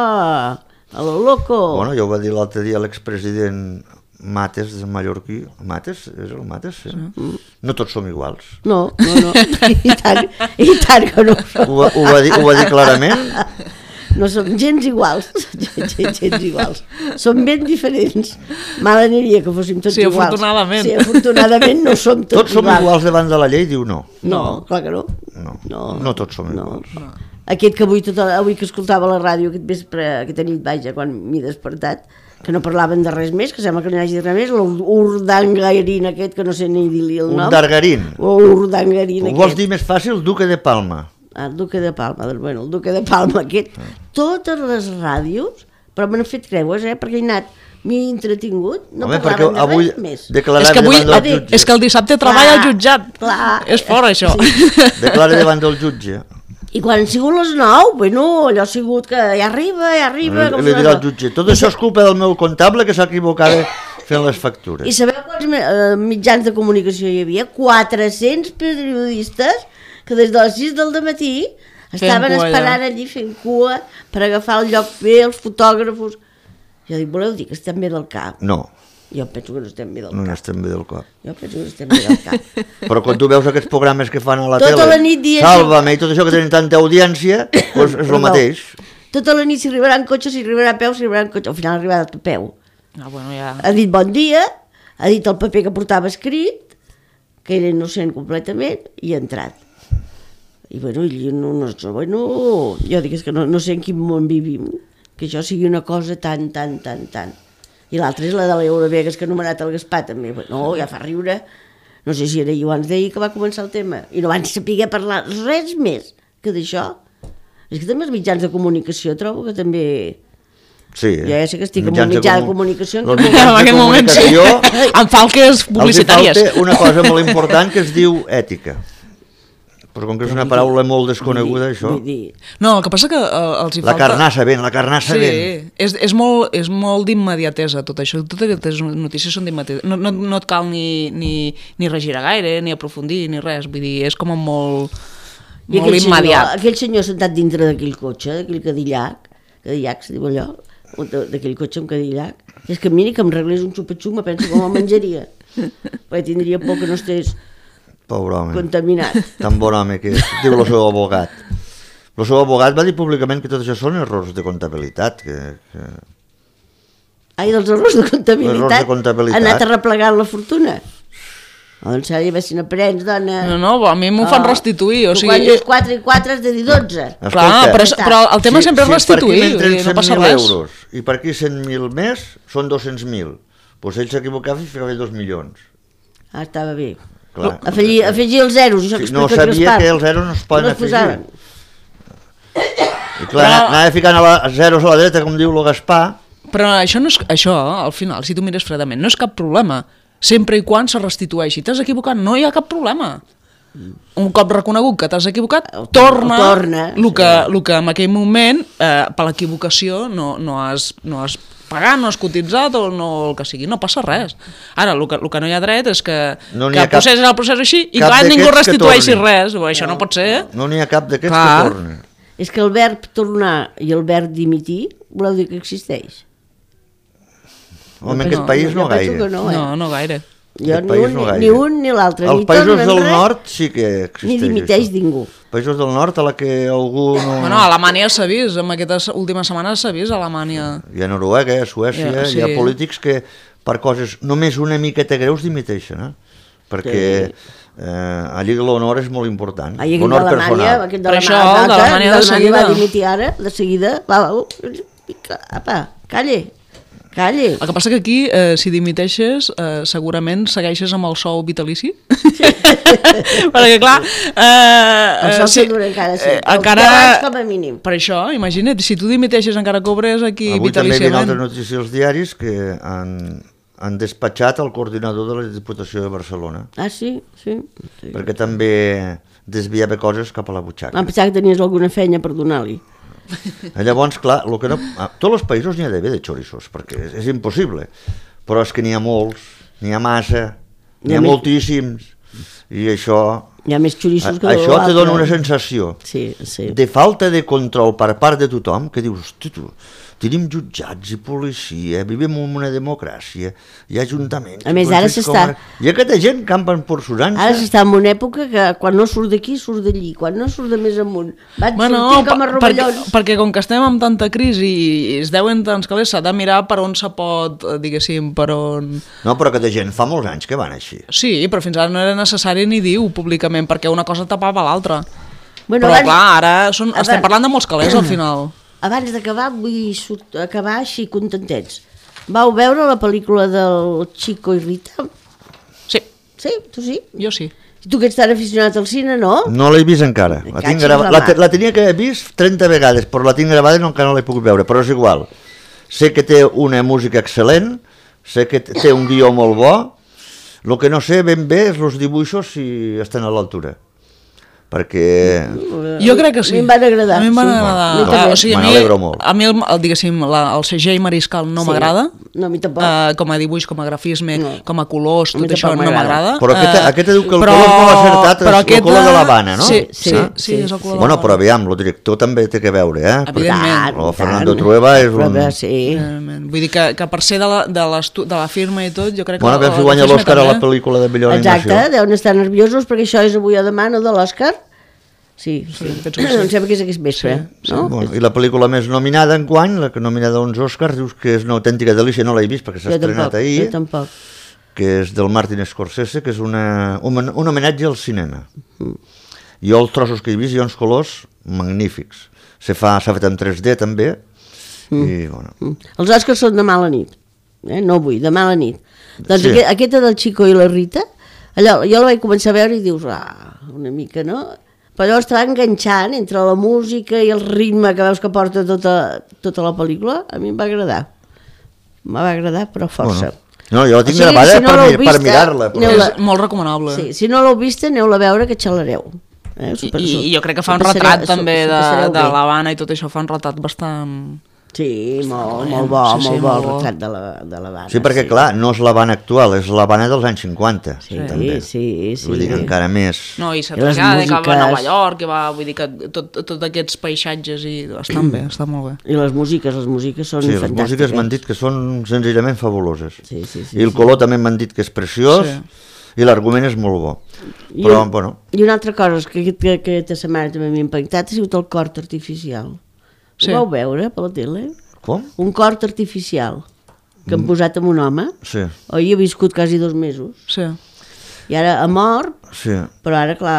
[SPEAKER 1] a lo loco.
[SPEAKER 2] Bueno, ja ho va dir l'altre dia l'expresident Mates, de mallorquí. Mates? És el Mates? Sí. Sí. No tots som iguals.
[SPEAKER 1] No, no, no. I tant, i tant que no som.
[SPEAKER 2] Ho, ho, va dir, ho va dir clarament?
[SPEAKER 1] No som gens iguals, gens, gens iguals. Som ben diferents. Mal aniria que fóssim tots
[SPEAKER 3] sí,
[SPEAKER 1] iguals.
[SPEAKER 3] Afortunadament.
[SPEAKER 1] Sí, afortunadament no som tots,
[SPEAKER 2] tots iguals. Tots som iguals davant de la llei, diu no.
[SPEAKER 1] No, clar que no.
[SPEAKER 2] No, no, no tots som
[SPEAKER 1] no.
[SPEAKER 2] iguals.
[SPEAKER 1] No. Aquest que avui, tot, avui que escoltava la ràdio, aquest vespre, aquesta nit, vaja, quan m'he despertat, que no parlaven de res més, que sembla que no hi hagi res més, l'Urdangarín aquest, que no sé ni dir-li el nom.
[SPEAKER 2] Urdangarín.
[SPEAKER 1] Urdangarín aquest.
[SPEAKER 2] Ho vols dir més fàcil? Duque de Palma.
[SPEAKER 1] El Duque de Palma, bueno, el Duque de Palma aquest, ah. Totes les ràdios, però m'han fet creues, eh, perquè he anat, m'he entretingut, no
[SPEAKER 2] Home,
[SPEAKER 1] parlaven de
[SPEAKER 2] avui
[SPEAKER 1] res més.
[SPEAKER 3] És que, avui, és que el dissabte treballa al jutjat,
[SPEAKER 1] clar,
[SPEAKER 3] és fort això.
[SPEAKER 1] Sí.
[SPEAKER 2] Declara davant del jutge.
[SPEAKER 1] I quan han sigut les nou, bueno, allò ha sigut que ja arriba, ja arriba...
[SPEAKER 2] I li dirà al jutge, tot això és culpa del meu comptable que s'ha equivocat fent les factures.
[SPEAKER 1] I sabeu quants eh, mitjans de comunicació hi havia? quatre-cents periodistes que des de les sis del dematí estaven cua, esperant allà. Allí fent cua per agafar el lloc bé, els fotògrafos. Jo dic, voleu dir que estem bé del cap?
[SPEAKER 2] No.
[SPEAKER 1] Jo penso que no estem bé del
[SPEAKER 2] no
[SPEAKER 1] cap.
[SPEAKER 2] No estem bé del cap.
[SPEAKER 1] Jo penso que no estem bé del cap.
[SPEAKER 2] Però quan tu veus aquests programes que fan a la
[SPEAKER 1] tota
[SPEAKER 2] tele,
[SPEAKER 1] la nit dia,
[SPEAKER 2] Sálvame i tot això que tenen tanta audiència, doncs és el mateix.
[SPEAKER 1] Tota la nit s'hi arribarà en cotxe, s'hi arribarà a peu, s'hi arribarà en cotxe. Al final ha arribat a peu.
[SPEAKER 3] Ah, bueno, ja...
[SPEAKER 1] Ha dit bon dia, ha dit el paper que portava escrit, que era innocent completament, i ha entrat. I bueno, i no, no, no, bueno, jo dic que no, no sé en quin món vivim, que això sigui una cosa tan, tan, tan, tan. I l'altra és la de l'Eurovegas que ha anomenat el Gaspar també. No, ja fa riure. No sé si era jo abans d'ahir que va començar el tema. I no van saber parlar res més que d'això. És que també els mitjans de comunicació trobo que també...
[SPEAKER 2] Sí, eh?
[SPEAKER 1] Jo ja sé que estic en un mitjà de comunicació...
[SPEAKER 2] En aquest moment sí.
[SPEAKER 3] Em falques publicitàries.
[SPEAKER 2] Els falta una cosa molt important que es diu ètica. Però com que és una paraula molt desconeguda, això...
[SPEAKER 3] No, el que passa que uh, els hi falta...
[SPEAKER 2] La carnassa ben, la carnassa
[SPEAKER 3] sí,
[SPEAKER 2] ben.
[SPEAKER 3] Sí, és, és molt, és molt d'immediatesa tot això. Totes aquestes notícies són d'immediatesa. No, no, no et cal ni, ni, ni regirar gaire, ni aprofundir, ni res. Vull dir, és com molt,
[SPEAKER 1] I
[SPEAKER 3] molt immediat.
[SPEAKER 1] Senyor, aquell senyor sentat dintre d'aquell cotxe, d'aquell cadillac, cadillac, se diu allò, d'aquell cotxe amb cadillac, és que miri que em reglés un xupa-xup, me penso com el menjaria. Perquè tindria por que no estés...
[SPEAKER 2] Pobre home.
[SPEAKER 1] Contaminat.
[SPEAKER 2] Tan bon home que és, diu el seu abogat. El seu abogat va dir públicament que tot això són errors de comptabilitat. Que, que...
[SPEAKER 1] Ai, dels errors de comptabilitat?
[SPEAKER 2] Errors de comptabilitat.
[SPEAKER 1] Ha anat arreplegant la fortuna. Doncs s'ha de dir, si n'aprens, dona...
[SPEAKER 3] No, no, a mi m'ho fan restituir, o sigui...
[SPEAKER 1] Quan dius quatre i quatre has de dir dotze.
[SPEAKER 3] Clar, però, però el tema
[SPEAKER 2] si,
[SPEAKER 3] sempre és restituir,
[SPEAKER 2] si per aquí
[SPEAKER 3] no passa
[SPEAKER 2] res.
[SPEAKER 3] res.
[SPEAKER 2] Euros, i per aquí cent mil més, són dos-cents mil. Doncs ell s'equivocava i ficava dos milions.
[SPEAKER 1] Ah, estava bé.
[SPEAKER 2] Clar.
[SPEAKER 1] Afegir, afegir els zeros, això que
[SPEAKER 2] Sí, no
[SPEAKER 1] explica
[SPEAKER 2] sabia
[SPEAKER 1] Gaspar.
[SPEAKER 2] que els zeros no es poden
[SPEAKER 1] No es posaven.
[SPEAKER 2] afegir. I clar, però... anava ficant a la, zeros a la dreta, com diu el Gaspar.
[SPEAKER 3] Però això, no és, això, al final, si tu mires fredament, no és cap problema. Sempre i quan se restitueixi. T'has equivocat, no hi ha cap problema. Un cop reconegut que t'has equivocat, torna,
[SPEAKER 1] torna
[SPEAKER 3] el que, el que en aquell moment, eh, per l'equivocació, no, no, has, no has pagat, no has cotitzat o no, el que sigui, no passa res. Ara, el que, el que no hi ha dret és que,
[SPEAKER 2] no
[SPEAKER 3] que el procés és el procés així i que ningú restitueixi res. Bo, això no, no pot ser.
[SPEAKER 2] No n'hi ha cap d'aquests que torni.
[SPEAKER 1] És que el verb tornar i el verb dimitir, voleu dir que existeix?
[SPEAKER 2] Home, en aquest país no gaire.
[SPEAKER 3] No, no, no gaire.
[SPEAKER 1] Jo ni un, no ni un ni l'altre.
[SPEAKER 2] Els països del nord sí que existeix.
[SPEAKER 1] Ni dimiteix ningú.
[SPEAKER 2] Els països del nord a la que algú no...
[SPEAKER 3] Bueno, a Alemanya s'ha vist, en aquestes últimes setmanes s'ha vist a Alemanya.
[SPEAKER 2] Hi ha Noruega, a Suècia, ja, sí. Hi ha polítics que per coses només una miqueta greus dimiteixen, eh? Perquè eh, allí l'honor és molt important.
[SPEAKER 1] Allí
[SPEAKER 2] l'honor personal.
[SPEAKER 1] Aquest
[SPEAKER 3] per això, d'Alemanya de seguida.
[SPEAKER 1] Va dimitir ara, de seguida, va, va, apa, calle. Calle.
[SPEAKER 3] El que passa que aquí, eh, si dimiteixes, eh, segurament segueixes amb el sou vitalici. Perquè, clar... Eh,
[SPEAKER 1] el sou
[SPEAKER 3] si,
[SPEAKER 1] dura encara, sí.
[SPEAKER 3] Eh, encara...
[SPEAKER 1] com a mínim.
[SPEAKER 3] Per això, imagina't, si tu dimiteixes encara cobres aquí
[SPEAKER 2] avui
[SPEAKER 3] vitaliciament.
[SPEAKER 2] Avui també hi ha altres notícies als diaris que han, han despatxat el coordinador de la Diputació de Barcelona.
[SPEAKER 1] Ah, sí? Sí. sí.
[SPEAKER 2] Perquè també desviava coses cap a la butxaca.
[SPEAKER 1] Em pensava que tenies alguna feina per donar-li.
[SPEAKER 2] Llavors, clar, lo que no, a tots els països n'hi ha d'haver de xorissos, perquè és, és impossible, però és que n'hi ha molts, n'hi ha massa, n'hi ha més... moltíssims, i això...
[SPEAKER 1] Hi ha més xorissos que
[SPEAKER 2] això te dona una sensació
[SPEAKER 1] sí, sí.
[SPEAKER 2] de falta de control per part de tothom, que dius, hosti, tu, tenim jutjats i policia, vivim en una democràcia, hi ha ajuntaments...
[SPEAKER 1] A més, ara s'està...
[SPEAKER 2] Hi ha aquesta gent campen per surança.
[SPEAKER 1] Ara s'està en una època que quan no surt d'aquí, surt d'allí, quan no surt de més amunt, van
[SPEAKER 3] bueno,
[SPEAKER 1] sortint com a rovellons.
[SPEAKER 3] Perquè, perquè com que estem amb tanta crisi i es deuen tants calés, s'ha de mirar per on se pot, diguéssim, per on...
[SPEAKER 2] No, però aquesta gent fa molts anys que van així.
[SPEAKER 3] Sí, però fins ara no era necessari ni dir-ho públicament, perquè una cosa tapava l'altra.
[SPEAKER 1] Bueno,
[SPEAKER 3] però
[SPEAKER 1] abans...
[SPEAKER 3] clar, ara són... abans... estem parlant de molts calés al final.
[SPEAKER 1] Abans d'acabar, vull acabar així contentets. Vau veure la pel·lícula del Chico i Rita?
[SPEAKER 3] Sí.
[SPEAKER 1] Sí? Tu sí?
[SPEAKER 3] Jo sí.
[SPEAKER 1] I tu que ets tan aficionat al cine, no?
[SPEAKER 2] No l'he vist encara. La, tinc grava... la, la tenia que haver vist trenta vegades, però la tinc gravada i no, encara no l'he pogut veure, però és igual. Sé que té una música excel·lent, sé que té un guió molt bo, el que no sé ben bé és els dibuixos si estan a l'altura. Perquè...
[SPEAKER 3] Jo crec que sí.
[SPEAKER 1] A mi em van agradar.
[SPEAKER 3] A mi em van
[SPEAKER 1] sí.
[SPEAKER 3] agradar.
[SPEAKER 1] No,
[SPEAKER 3] ah, o sigui, a mi,
[SPEAKER 2] molt.
[SPEAKER 3] a mi el, el, diguéssim, la, el C G I Mariscal no sí. m'agrada.
[SPEAKER 1] No, a mi tampoc.
[SPEAKER 3] Uh, com a dibuix, com a grafisme, no. com a colors, tot això no m'agrada.
[SPEAKER 2] Però aquest, uh, aquest diu que el però, color és molt acertat, és aquest, el color de l'Havana, no?
[SPEAKER 3] Sí, sí, sí, sí, sí és el color
[SPEAKER 2] bueno,
[SPEAKER 3] de
[SPEAKER 2] però aviam, el director també té que veure, eh?
[SPEAKER 3] Evidentment.
[SPEAKER 2] El Fernando Trueba és un...
[SPEAKER 1] Sí.
[SPEAKER 3] Vull dir que, que per ser de la, de, de la firma i tot, jo crec que...
[SPEAKER 2] Bueno, a veure si guanya l'Òscar a la pel·lícula de millor animació.
[SPEAKER 1] Exacte, deuen estar nerviosos perquè això és avui o demà, no, de l'Òscar. Sí, sí. sí. sí. Em sembla que és aquest vespre. Sí, no?
[SPEAKER 2] Sí, bueno, I la pel·lícula més nominada enguany, la que nominada a uns Oscars, dius que és una autèntica delícia, no l'he vist perquè s'ha estrenat ahir.
[SPEAKER 1] Jo tampoc.
[SPEAKER 2] Que és del Martin Scorsese, que és una, un, un homenatge al cinema. Mm. Jo els trossos que he vist, hi ha uns colors magnífics. S'ha fet en tres D també. Mm. I, bueno.
[SPEAKER 1] mm. Els Oscars són demà a la nit, eh? No avui, demà a la nit. Doncs sí. aquest, aquesta del Chico i la Rita, allò, jo la vaig començar a veure i dius, ah, una mica, no? Però llavors t'va enganxant entre la música i el ritme que veus que porta tota, tota la pel·lícula, a mi em va agradar. Em va agradar, però força.
[SPEAKER 2] Bueno. No, jo la tinc o sigui, gravada si no per, vista, per mirar-la. Però...
[SPEAKER 3] És molt recomanable.
[SPEAKER 1] Sí, si no l'heu vista, aneu-la a veure que xalareu. Eh?
[SPEAKER 3] Super, I, I jo crec que fa un retrat també de, de l'Havana i tot això, fa un retrat bastant...
[SPEAKER 1] Sí, molt, molt bo, sí, sí, molt bo el retrat de la, de l'Havana.
[SPEAKER 2] Sí, perquè sí. clar, no és l'Havana actual, és l'Havana dels anys cinquanta.
[SPEAKER 1] Sí, també. sí, sí.
[SPEAKER 2] Vull dir que encara més...
[SPEAKER 3] No, i s'ha traslladat, que va a Nova York, que va, vull dir que tots tot aquests paisatges i estan bé, està molt bé.
[SPEAKER 1] I les músiques, les músiques són
[SPEAKER 2] sí,
[SPEAKER 1] fantàstiques.
[SPEAKER 2] Sí, les músiques m'han dit que són senzillament fabuloses.
[SPEAKER 1] Sí, sí, sí.
[SPEAKER 2] I el
[SPEAKER 1] sí.
[SPEAKER 2] color també m'han dit que és preciós, sí. i l'argument és molt bo.
[SPEAKER 1] I,
[SPEAKER 2] Però,
[SPEAKER 1] un,
[SPEAKER 2] bueno...
[SPEAKER 1] I una altra cosa que, que, que aquesta setmana també m'ha impactat ha sigut el cort artificial. Sí. Ho vau veure per la tele?
[SPEAKER 2] Com?
[SPEAKER 1] Un cort artificial que han posat amb un home.
[SPEAKER 2] Sí.
[SPEAKER 1] Oi, ha viscut quasi dos mesos.
[SPEAKER 3] Sí.
[SPEAKER 1] I ara ha mort,
[SPEAKER 2] Sí.
[SPEAKER 1] però ara, clar,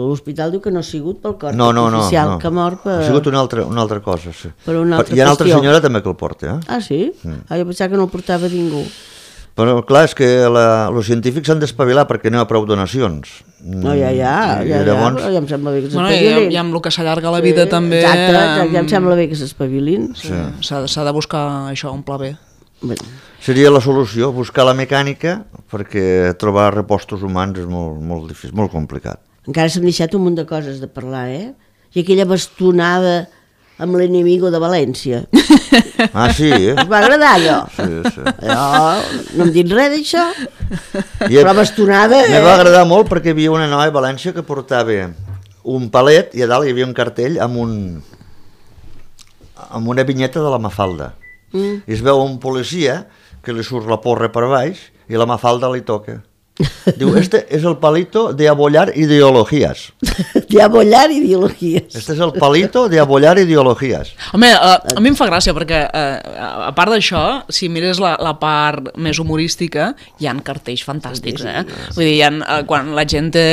[SPEAKER 1] l'hospital diu que no ha sigut pel còrtex
[SPEAKER 2] No, no, no,
[SPEAKER 1] oficial,
[SPEAKER 2] no.
[SPEAKER 1] que ha mort per...
[SPEAKER 2] Ha sigut una altra, una altra cosa, sí.
[SPEAKER 1] Per una altra
[SPEAKER 2] Hi ha una altra
[SPEAKER 1] qüestió.
[SPEAKER 2] senyora també que el porta, eh?
[SPEAKER 1] Ah, sí? Mm. Ah, jo pensava que no el portava ningú.
[SPEAKER 2] Però clar, és que la, els científics s'han d'espavilar perquè no hi ha prou donacions.
[SPEAKER 1] No, ja, ja,
[SPEAKER 2] I
[SPEAKER 1] ja,
[SPEAKER 2] llavors...
[SPEAKER 1] ja, ja em sembla bé que
[SPEAKER 3] Bueno, i,
[SPEAKER 1] s'espavilin.
[SPEAKER 3] i amb el que s'allarga la vida també...
[SPEAKER 1] Exacte, exacte, ja em sembla bé que s'espavilin.
[SPEAKER 3] Sí. S'ha s'ha de buscar això, un pla B.
[SPEAKER 1] Bé.
[SPEAKER 2] Seria la solució, buscar la mecànica, perquè trobar repostos humans és molt, molt difícil, molt complicat.
[SPEAKER 1] Encara s'han deixat un munt de coses de parlar, eh? I aquella bastonada amb l'enemigo de València.
[SPEAKER 2] Ah, sí, eh?
[SPEAKER 1] Us va agradar allò?
[SPEAKER 2] Sí, sí.
[SPEAKER 1] Allò, no em dit res d'això,
[SPEAKER 2] I
[SPEAKER 1] però bastonada...
[SPEAKER 2] me
[SPEAKER 1] Eh?
[SPEAKER 2] va agradar molt perquè hi havia una noia a València que portava un palet i a dalt hi havia un cartell amb un amb una vinyeta de la Mafalda. Mm. I es veu un policia que li surt la porra per baix i la Mafalda li toca. Diu, este es el palito de abollar ideologías.
[SPEAKER 1] De abollar ideologies.
[SPEAKER 2] Este es el palito de abollar ideologías.
[SPEAKER 3] Home, a, a mi em fa gràcia perquè, eh, a part d'això, si mires la, la part més humorística, hi ha cartells fantàstics, eh? Vull dir, hi ha, eh, quan la gent té...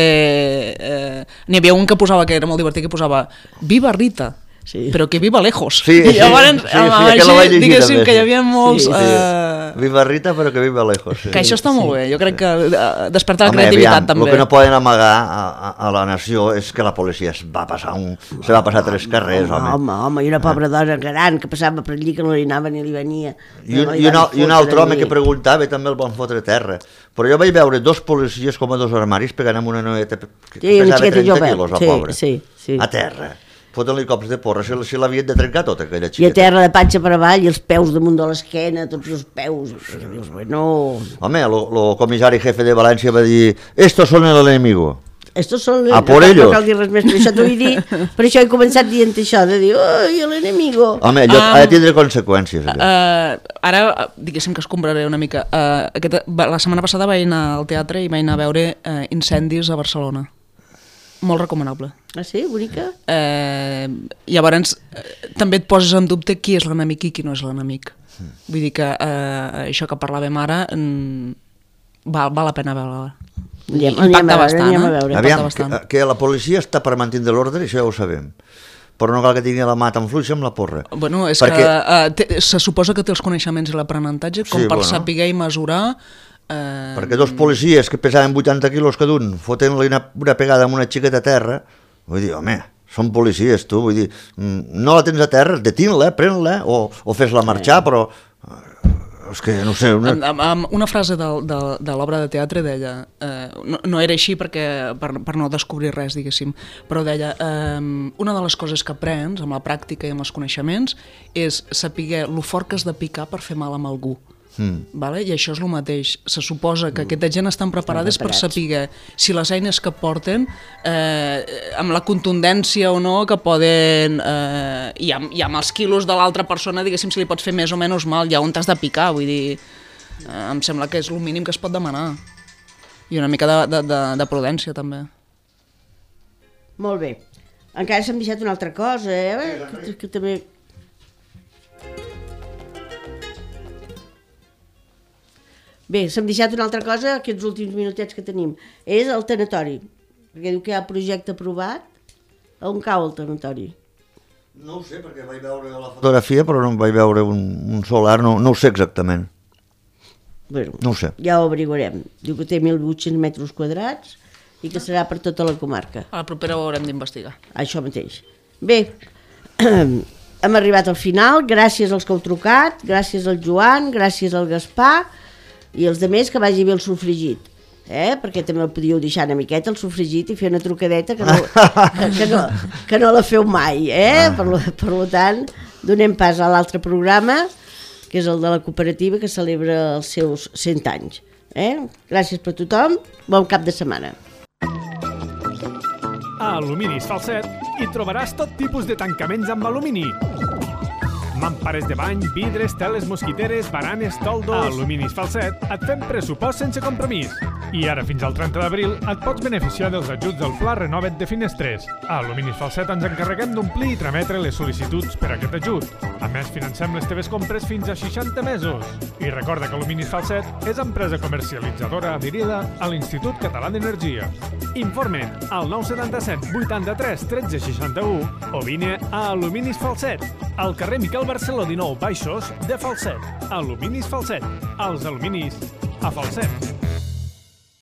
[SPEAKER 3] Eh, n'hi havia un que posava, que era molt divertit, que posava Viva Rita,
[SPEAKER 1] Sí.
[SPEAKER 3] però que viva lejos.
[SPEAKER 2] Sí,
[SPEAKER 3] I llavors,
[SPEAKER 2] sí, sí,
[SPEAKER 3] amb
[SPEAKER 2] sí, aquell
[SPEAKER 3] així,
[SPEAKER 2] la vaig llegir
[SPEAKER 3] diguéssim
[SPEAKER 2] també.
[SPEAKER 3] que hi havia molts...
[SPEAKER 1] Sí,
[SPEAKER 2] Sí.
[SPEAKER 3] Eh,
[SPEAKER 2] Viva Rita, però que viva lejos. Sí.
[SPEAKER 3] que això està molt bé, jo crec que eh, desperta la
[SPEAKER 2] Home,
[SPEAKER 3] creativitat
[SPEAKER 2] aviam,
[SPEAKER 3] també.
[SPEAKER 2] el que no poden amagar a, a, a la nació és que la policia es va passar un, se va passar tres carrers, home.
[SPEAKER 1] Home, home, i una pobra dona gran que passava per allí que no li anava ni li venia.
[SPEAKER 2] I un,
[SPEAKER 1] No
[SPEAKER 2] i,
[SPEAKER 1] li
[SPEAKER 2] un,
[SPEAKER 1] van
[SPEAKER 2] i un
[SPEAKER 1] fotre
[SPEAKER 2] altre home
[SPEAKER 1] ni-
[SPEAKER 2] que preguntava també el van fotre a terra. Però jo vaig veure dos policies com a dos armaris pegant amb una noieta que
[SPEAKER 1] Sí, una
[SPEAKER 2] pesava
[SPEAKER 1] xiqueta
[SPEAKER 2] trenta
[SPEAKER 1] jove.
[SPEAKER 2] quilos, la
[SPEAKER 1] Sí,
[SPEAKER 2] pobra.
[SPEAKER 1] sí, sí.
[SPEAKER 2] A terra. Foten-li cops de porra, si, si l'havien de trencar tota aquella
[SPEAKER 1] I a
[SPEAKER 2] xiqueta.
[SPEAKER 1] terra de panxa per avall i els peus damunt de l'esquena, tots els peus. I dius, bueno,
[SPEAKER 2] Home, el comissari jefe de València va dir estos son el enemigo.
[SPEAKER 1] estos són...
[SPEAKER 2] A por
[SPEAKER 1] no,
[SPEAKER 2] ellos.
[SPEAKER 1] No cal dir res més, per això t'ho he dit, per això he començat dient això, de dir, oi, l'enemigo.
[SPEAKER 2] Home, allò
[SPEAKER 3] Ah.
[SPEAKER 2] ha de tindre conseqüències. Allò.
[SPEAKER 3] Uh, ara, eh, diguéssim que es compraré una mica. Uh, aquesta, la setmana passada vaig anar al teatre i vaig anar a veure uh, Incendis a Barcelona. Molt recomanable.
[SPEAKER 1] Ah, sí? Bonica?
[SPEAKER 3] Eh, llavors, eh, també et poses en dubte qui és l'enemic i qui no és l'enemic. Mm. Vull dir que eh, això que parlàvem ara mm, val, val la pena veure-la.
[SPEAKER 1] Anem, anem a
[SPEAKER 3] Impacta
[SPEAKER 1] veure,
[SPEAKER 3] bastant,
[SPEAKER 1] anem a
[SPEAKER 3] eh?
[SPEAKER 1] veure.
[SPEAKER 3] Impacta
[SPEAKER 2] Aviam,
[SPEAKER 3] bastant.
[SPEAKER 2] que, que la policia està per mantenir l'ordre, això ja ho sabem. Però no cal que tingui la mà tan fluixa amb la porra.
[SPEAKER 3] Bueno, és
[SPEAKER 2] Perquè-
[SPEAKER 3] que eh, té, se suposa que té els coneixements i l'aprenentatge com
[SPEAKER 2] Sí,
[SPEAKER 3] per
[SPEAKER 2] bueno.
[SPEAKER 3] saber i mesurar. Eh,
[SPEAKER 2] Perquè dos policies que pesaven vuitanta quilos cada un, fotent-li una, una pegada amb una xiqueta a terra, vull dir, home, són policies, tu, vull dir, mm, no la tens a terra, detin-la, pren-la, o, o fes-la marxar, però... eh, és que, no sé... Una...
[SPEAKER 3] Amb, amb, amb una frase de, de, de l'obra de teatre deia, eh, no, no era així perquè, per, per no descobrir res, diguéssim, però deia, eh, una de les coses que aprens amb la pràctica i amb els coneixements és saber lo fort que has de picar per fer mal amb algú. Mm. Vale? I això és el mateix. Se suposa que aquesta gent estan preparades per saber si les eines que porten, eh, amb la contundència o no, que poden... Eh, i, amb, I amb els quilos de l'altra persona, diguéssim, si li pots fer més o menys mal, ja on t'has de picar, vull dir... Eh, em sembla que és el mínim que es pot demanar. I una mica de, de, de, de prudència, també.
[SPEAKER 1] Molt bé. Encara s'hem deixat una altra cosa, eh? Que, que també... Bé, s'hem deixat una altra cosa, aquests últims minutets que tenim. És el tanatori. Perquè diu que hi ha projecte aprovat. On cau el tanatori?
[SPEAKER 2] No ho sé, perquè vaig veure la fotografia, però no vaig veure un, un solar, no, no ho sé exactament.
[SPEAKER 1] Bueno,
[SPEAKER 2] No ho sé.
[SPEAKER 1] ja ho averiguarem. Diu que té mil vuit-cents metres quadrats i que serà per tota la comarca.
[SPEAKER 3] A la propera ho haurem d'investigar.
[SPEAKER 1] Això mateix. Bé, hem arribat al final, gràcies als que heu trucat, gràcies al Joan, gràcies al Gaspar i els demés que vagi bé el sofregit, eh? Perquè també el podíeu deixar una miqueta el sofregit i fer una trucadeta que no, que, que no, que no la feu mai, eh? Per, lo, per lo tant, donem pas a l'altre programa, que és el de la cooperativa que celebra els seus cent anys. Eh? Gràcies per tothom, bon cap de setmana.
[SPEAKER 5] A Aluminis Falset hi trobaràs tot tipus de tancaments amb alumini. Mampares de bany, vidres, teles mosquiteres, baranes, toldos... A Aluminis Falset et fem pressupost sense compromís. I ara, fins al trenta d'abril, et pots beneficiar dels ajuts del Pla Renova't de Finestres. A Aluminis Falset ens encarreguem d'omplir i trametre les sol·licituds per a aquest ajut. A més, financem les teves compres fins a seixanta mesos. I recorda que Aluminis Falset és empresa comercialitzadora adherida a l'Institut Català d'Energia. Informa't al nou setanta-set vuitanta-tres tretze seixanta-u o vine a Aluminis Falset, al carrer Miquel Barceló dinou Baixos de Falset. Aluminis Falset, els aluminis a Falset.